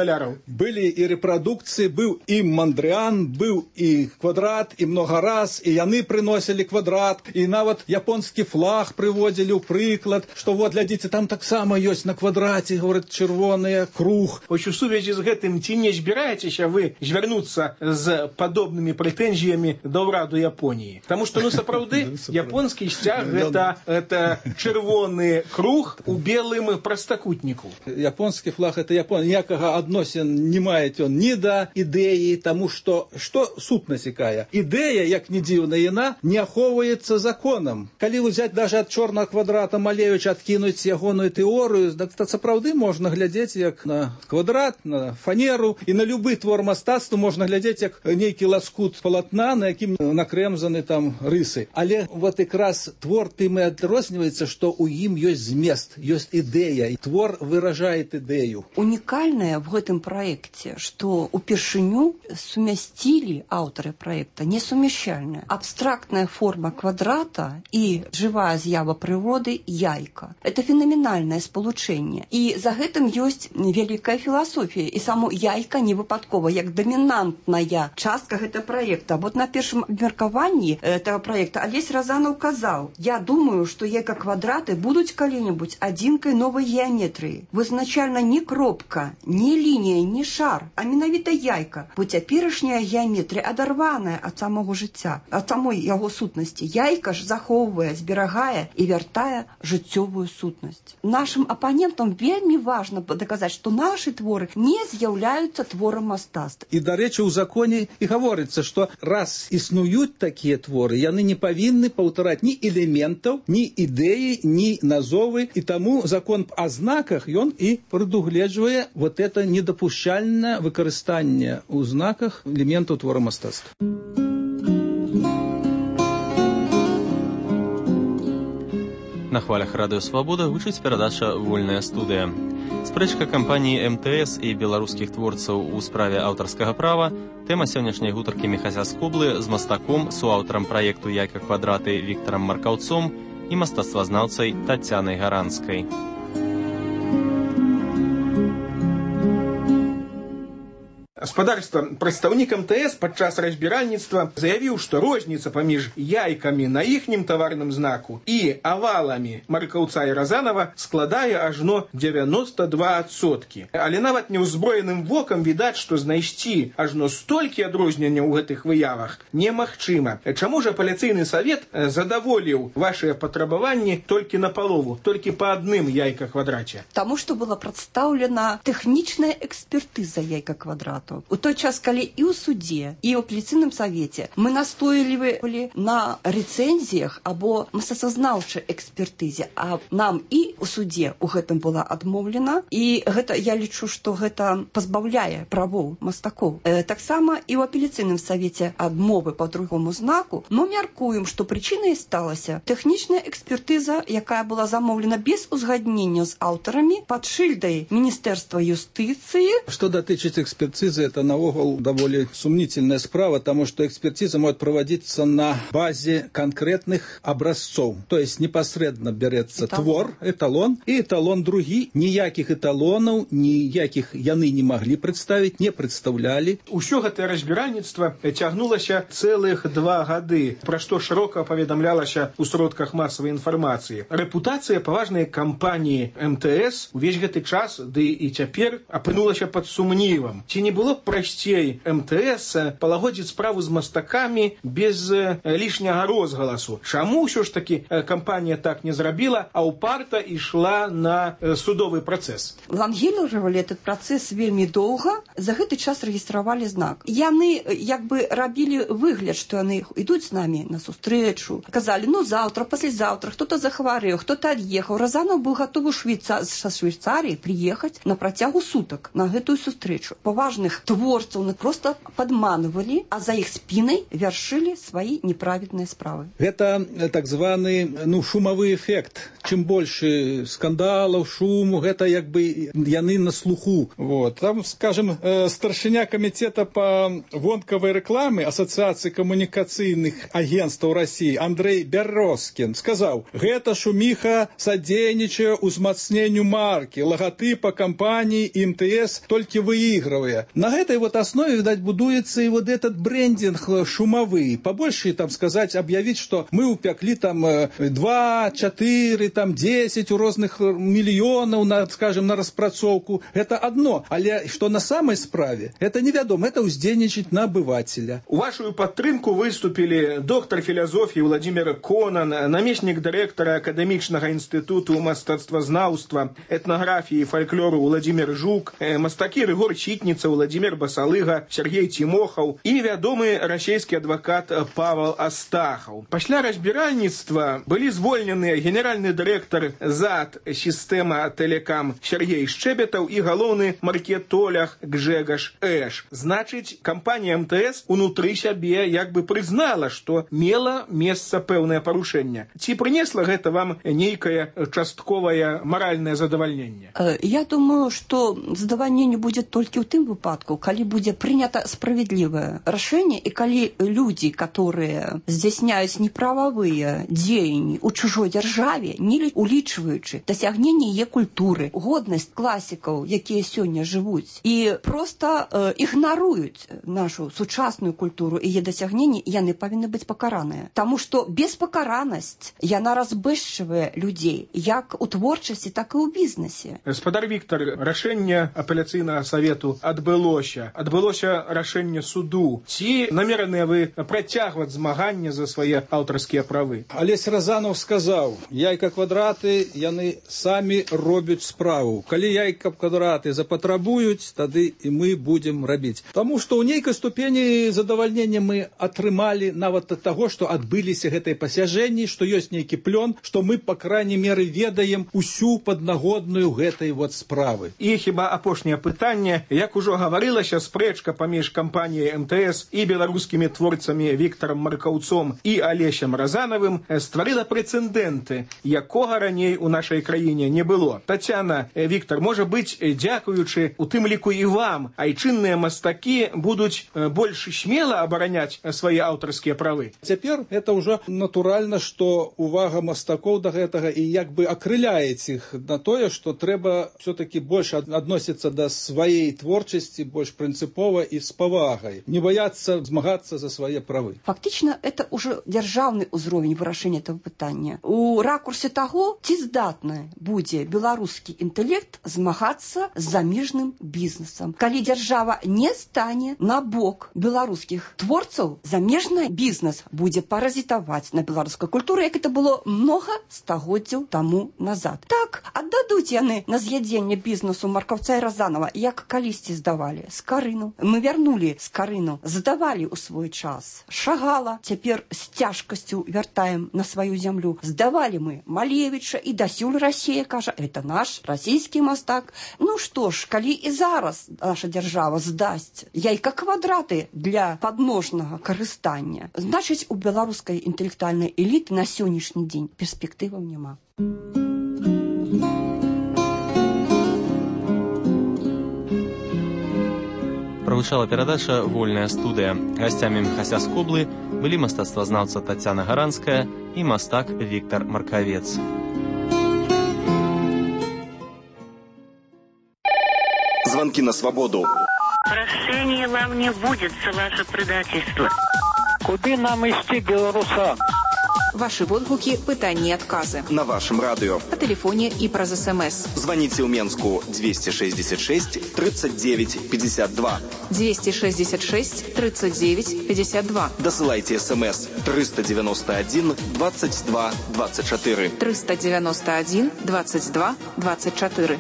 Былі і рэпрадукцыі, быў і Мандрыан, быў і квадрат, і много раз, і яны прыносілі квадрат, і нават японскі флаг прыводзілі ў прыклад, што вот, глядзіце, там таксама ёсць на квадраце, говорят, чырвоны круг. Вось у сувязі з гэтым ці не збіраецеся вы звярнуцца з падобнымі прэтэнзіямі да ўраду Японіі? Таму што, сапраўды, японскі сцяг гэта чырвоны круг у белым прастакутніку. Японскі флаг это Японія. Ніякага адносін не мае ён ні да ідэі, таму што сутнасць якая? Ідэя, як не дзіўна, яна не ахоўваецца законам. Калі ўзяць даже ад чорнага квадрата Малевіча, адкінуць ягоную тэорыю, то сапраўды можна глядзець як на квадрат, на фанеру, і на любы твор мастацтва можна глядзець як нейкі ласкут палатна, на якім накрэмзаны там рысы. Але вот якраз твор тым і адрозніваецца, што ў ім ёсць змест, ёсць ідэя, і твор выражает ідэю. Унікальнае в гэтым праекце, што упершыню сумясцілі аўтары праекта несумяшчальная абстрактная форма квадрата і жывая з'ява прыроды яйка. Это фенаменальнае спалучэнне. І за гэтым ёсць вялікая філасофія. І само яйка не выпадкова, як дамінантная частка гэтага праекта. Вот на першым абмеркаванні этого праекта Алесь Разанов казаў: я думаю, што яйка-квадраты будуць калі-небудзь адзінкай новай геаметрыі. Вызначальна не кропка, не лінія, не шар, а менавіта яйка, бо цяперашняя геаметрыя адарваная ад самого жыцця, ад самой яго сутнасці. Яйка ж захоўвае, зберагае і вяртае жыццёвую сутнасць. Нашым апанентам вельмі важна даказаць, што нашы творы не з'яўляюцца творам мастацтва. І, дарэчы, у законе і гаворыцца, што раз існуюць такія творы, яны не павінны паўтараць ні элементаў, ні ідэі, ні назовы, і таму закон о знаках, ён і прадугледжвае вот это недапушчальнае выкарыстанне ў знаках элементаў твора мастацтва. На хвалях Радыё Свабода гучыць перадача «Вольная студыя». Спрэчка кампаніі МТС і беларускіх творцаў у справе аўтарскага права – тэма сённяшняй гутаркі Міхася Скоблы з мастаком, суаўтарам праекту «Яйка-квадраты» Віктарам Маркаўцом і мастацтвазнаўцай Тацянай Гаранскай. Гаспадарства, прадстаўнік МТС падчас разбіральніцтва заявіў, што розніца паміж яйкамі на іхнім таварным знаку і аваламі Маркаўца і Разанова складае ажно 92%. Але нават неўзброеным вокам відаць, што знайсці ажно столькі адрозненняў у гэтых выявах немагчыма. Чаму ж апеляцыйны савет задаволіў вашыя патрабаванні толькі напалову, толькі па адным яйка-квадраце? Таму што была прадстаўлена тэхнічная экспертыза яйка-квадрату. У той час, калі і ў судзе, і ў апеляцыйным савеце мы настойлівалі на рэцэнзіях або мастацтвазнаўчай экспертызе, а нам і ў судзе у гэтым была адмоўлена, і гэта, я лічу, што гэта пазбаўляе правоў мастакоў. Таксама і ў апеляцыйным савеце адмовы па другому знаку мы мяркуем, што прычынай сталася тэхнічная экспертыза, якая была замоўлена без узгаднення з аўтарамі пад шыльдай Міністэрства юстыцыі. Что датычыць экспертизы, это наогул довольно сомнительная справа, потому что экспертиза может проводиться на базе конкретных образцов. То есть непосредственно берется твор, эталон, и эталон другі. Ніяких эталонов, ніяких яны не могли представить, не представляли. Усё гэтае разбіральніцтва цягнулася цэлых 2 гады, пра што шырока паведамлялася ў сродках масавай інфармацыі. Рэпутацыя паважнай кампаніі МТС увесь гэты час, ды і цяпер, апынулася пад сумнівам. Ці не было б прасцей МТС палагодзіць справу з мастакамі без лішняга розгаласу? Чаму ўсё ж такі кампанія так не зрабіла, а ўпарта ішла на судовы працэс? Лангіліравалі этот працэс вельмі доўга, за гэты час рэгістравалі знак. Яны як бы рабілі выгляд, што яны ідуць з намі на сустрэчу. Казалі, ну заўтра, паслязаўтра, хто-то захварэў, хто-то ад'ехаў. Разанов быў гатовы са Швейцарыі прыехаць на працягу сутак на гэтую сустрэчу. Паважных творцаў просто падманывалі, а за іх спінай вяршылі свае неправедныя справы. Это так званы шумовы эффект. Чым больше скандалаў, шуму, гэта як бы яны на слуху. Вот. Там, скажем, старшыня комитета по вонкавай рэкламы Ассоциации коммуникацыйных агентстваў России Андрей Бярозкін сказаў: гэта шуміха садзейнічае узмацненню марки, логотипа компании МТС только выигрывая. На этой вот основе, видать, будуется и вот этот брендинг шумовый. Побольше, там, сказать, объявить, что мы упекли там 2, 4, там 10 у разных миллионов, на, скажем, на распрацоўку. Это одно. Але что на самой справе, это невядомо, это уздзейнічаць на обывателя. У вашу падтрымку выступили доктор философии Владимир Конан, намеснік дырэктара акадэмічнага інстытуту мастацтвазнаўства, этнографии и фольклору Владимир Жук, мастакі Рыгор Читница, Владимир Басалыга, Сергей Тимохов и вядомы расійскі адвокат Павел Астахов. Пасля разбіральніцтва былі звольнены генеральны дырэктар ЗАД «Система Телекам» Сергей Шчебетаў и галоўны маркетолог Гжегаш Эш. Значыць, кампанія МТС унутры сябе як бы прызнала, што мела месца пэўнае парушэнне. Ці прынесла гэта вам нейкае частковае маральнае задавальненне? Я думаю, што задавальненне будзе толькі ў тым выпадку, калі будзе прынята справядлівае рашэнне і калі людзі, которые здзяйсняюць неправавыя дзеянні ў чужой дзяржаве, не улічваючы дасягненне яе культуры, годнасць класікаў, якія сёння жывуць, і проста ігнаруюць нашу сучасную культуру і яе дасягненні, яны павінны быць пакараныя. Таму што беспакаранасць, яна разбэшчвае людзей, як у творчасці, так і ў бізнесе. Гаспадар Віктор, рашэнне апеляцыйнага савету адбылося рашэнне суду. Ці намераныя вы працягваць змаганне за свае аўтарскія правы? Алесь Разанов сказаў: яйка-квадраты яны самі робяць справу. Калі яйка-квадраты запатрабуюць, тады і мы будзем рабіць. Таму што ў нейкай ступені задавальнення мы атрымалі нават ад таго, што адбыліся гэтыя пасяжэнні, што ёсць нейкі плён, што мы, па крайней меры, ведаем усю паднагодную гэтай вот справы. І хіба апошняе пытанне, як ужо гаварылася, спрэчка паміж кампаніяй МТС і беларускімі творцамі Віктарам Маркаўцом і Алесем Разанавым стварыла прэцэдэнты, якога раней у нашай краіне не было. Тацяна, Віктар, можа быць, дзякуючы у тым ліку і вам, айчынныя мастакі будуць больш смела абараняць свае аўтарскія правы? Цяпер это ўжо натуральна, што увага мастакоў да гэтага і як бы акрыляець іх на тое, што трэба все-таки больше адносіцца да сваей творчасці, больш прынцыпова і з павагай, не баяцца змагацца за свае правы. Фактично, это уже державный уровень вырашэння этого пытання. У ракурсе того, ці здатны будзе беларускі інтэлект змагацца з замежным бізнесам. Калі держава не стане на бок беларускіх творцаў, замежны бізнес будзе паразітаваць на беларускай культуры, як это было много стагоддзяў таму назад. Так, аддадуць яны на з'ядзенне бізнесу Маркаўца і Разанова, як калісьці здавалі Скарыну. Мы вярнулі Скарыну, здавалі ў свой час Шагала, цяпер з цяжкасцю вяртаем на сваю зямлю. Здавалі мы Малевіча, і дасюль Расія кажа, это наш расійскі мастак. Ну што ж, калі і зараз наша дзяржава здасць яйка-квадраты для падножнага карыстання, значыць, у беларускай інтэлектуальнай эліты на сённяшні дзень перспектываў няма. Прагучала перадача «Вольная студыя». Гасцямі Міхася Скоблы былі мастацтвазнаўца Тацяна Гаранская і мастак Віктор Маркавец. Звонки на свободу. Прощения вам не будет за ваше предательство. Куды нам ісці, белорусам? Ваши водгуки, пытания и отказы. На вашем радио. По телефоне и про СМС. Звоните в Менску 266 39 52. 266 39 52. Досылайте СМС 391 22 24. 391 22 24.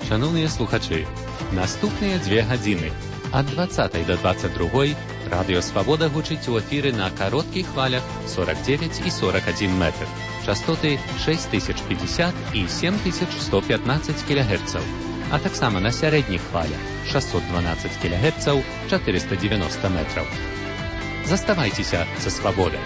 Шановні слухачі, наступні 2 години ад 20 до 22 Радіо Свобода гучить у ефірі на коротких хвалях 49 і 41 метр, частоти 6050 і 7115 кГц, а так само на середніх хвалях 612 кГц, 490 метрів. Заставайтеся за Свободою.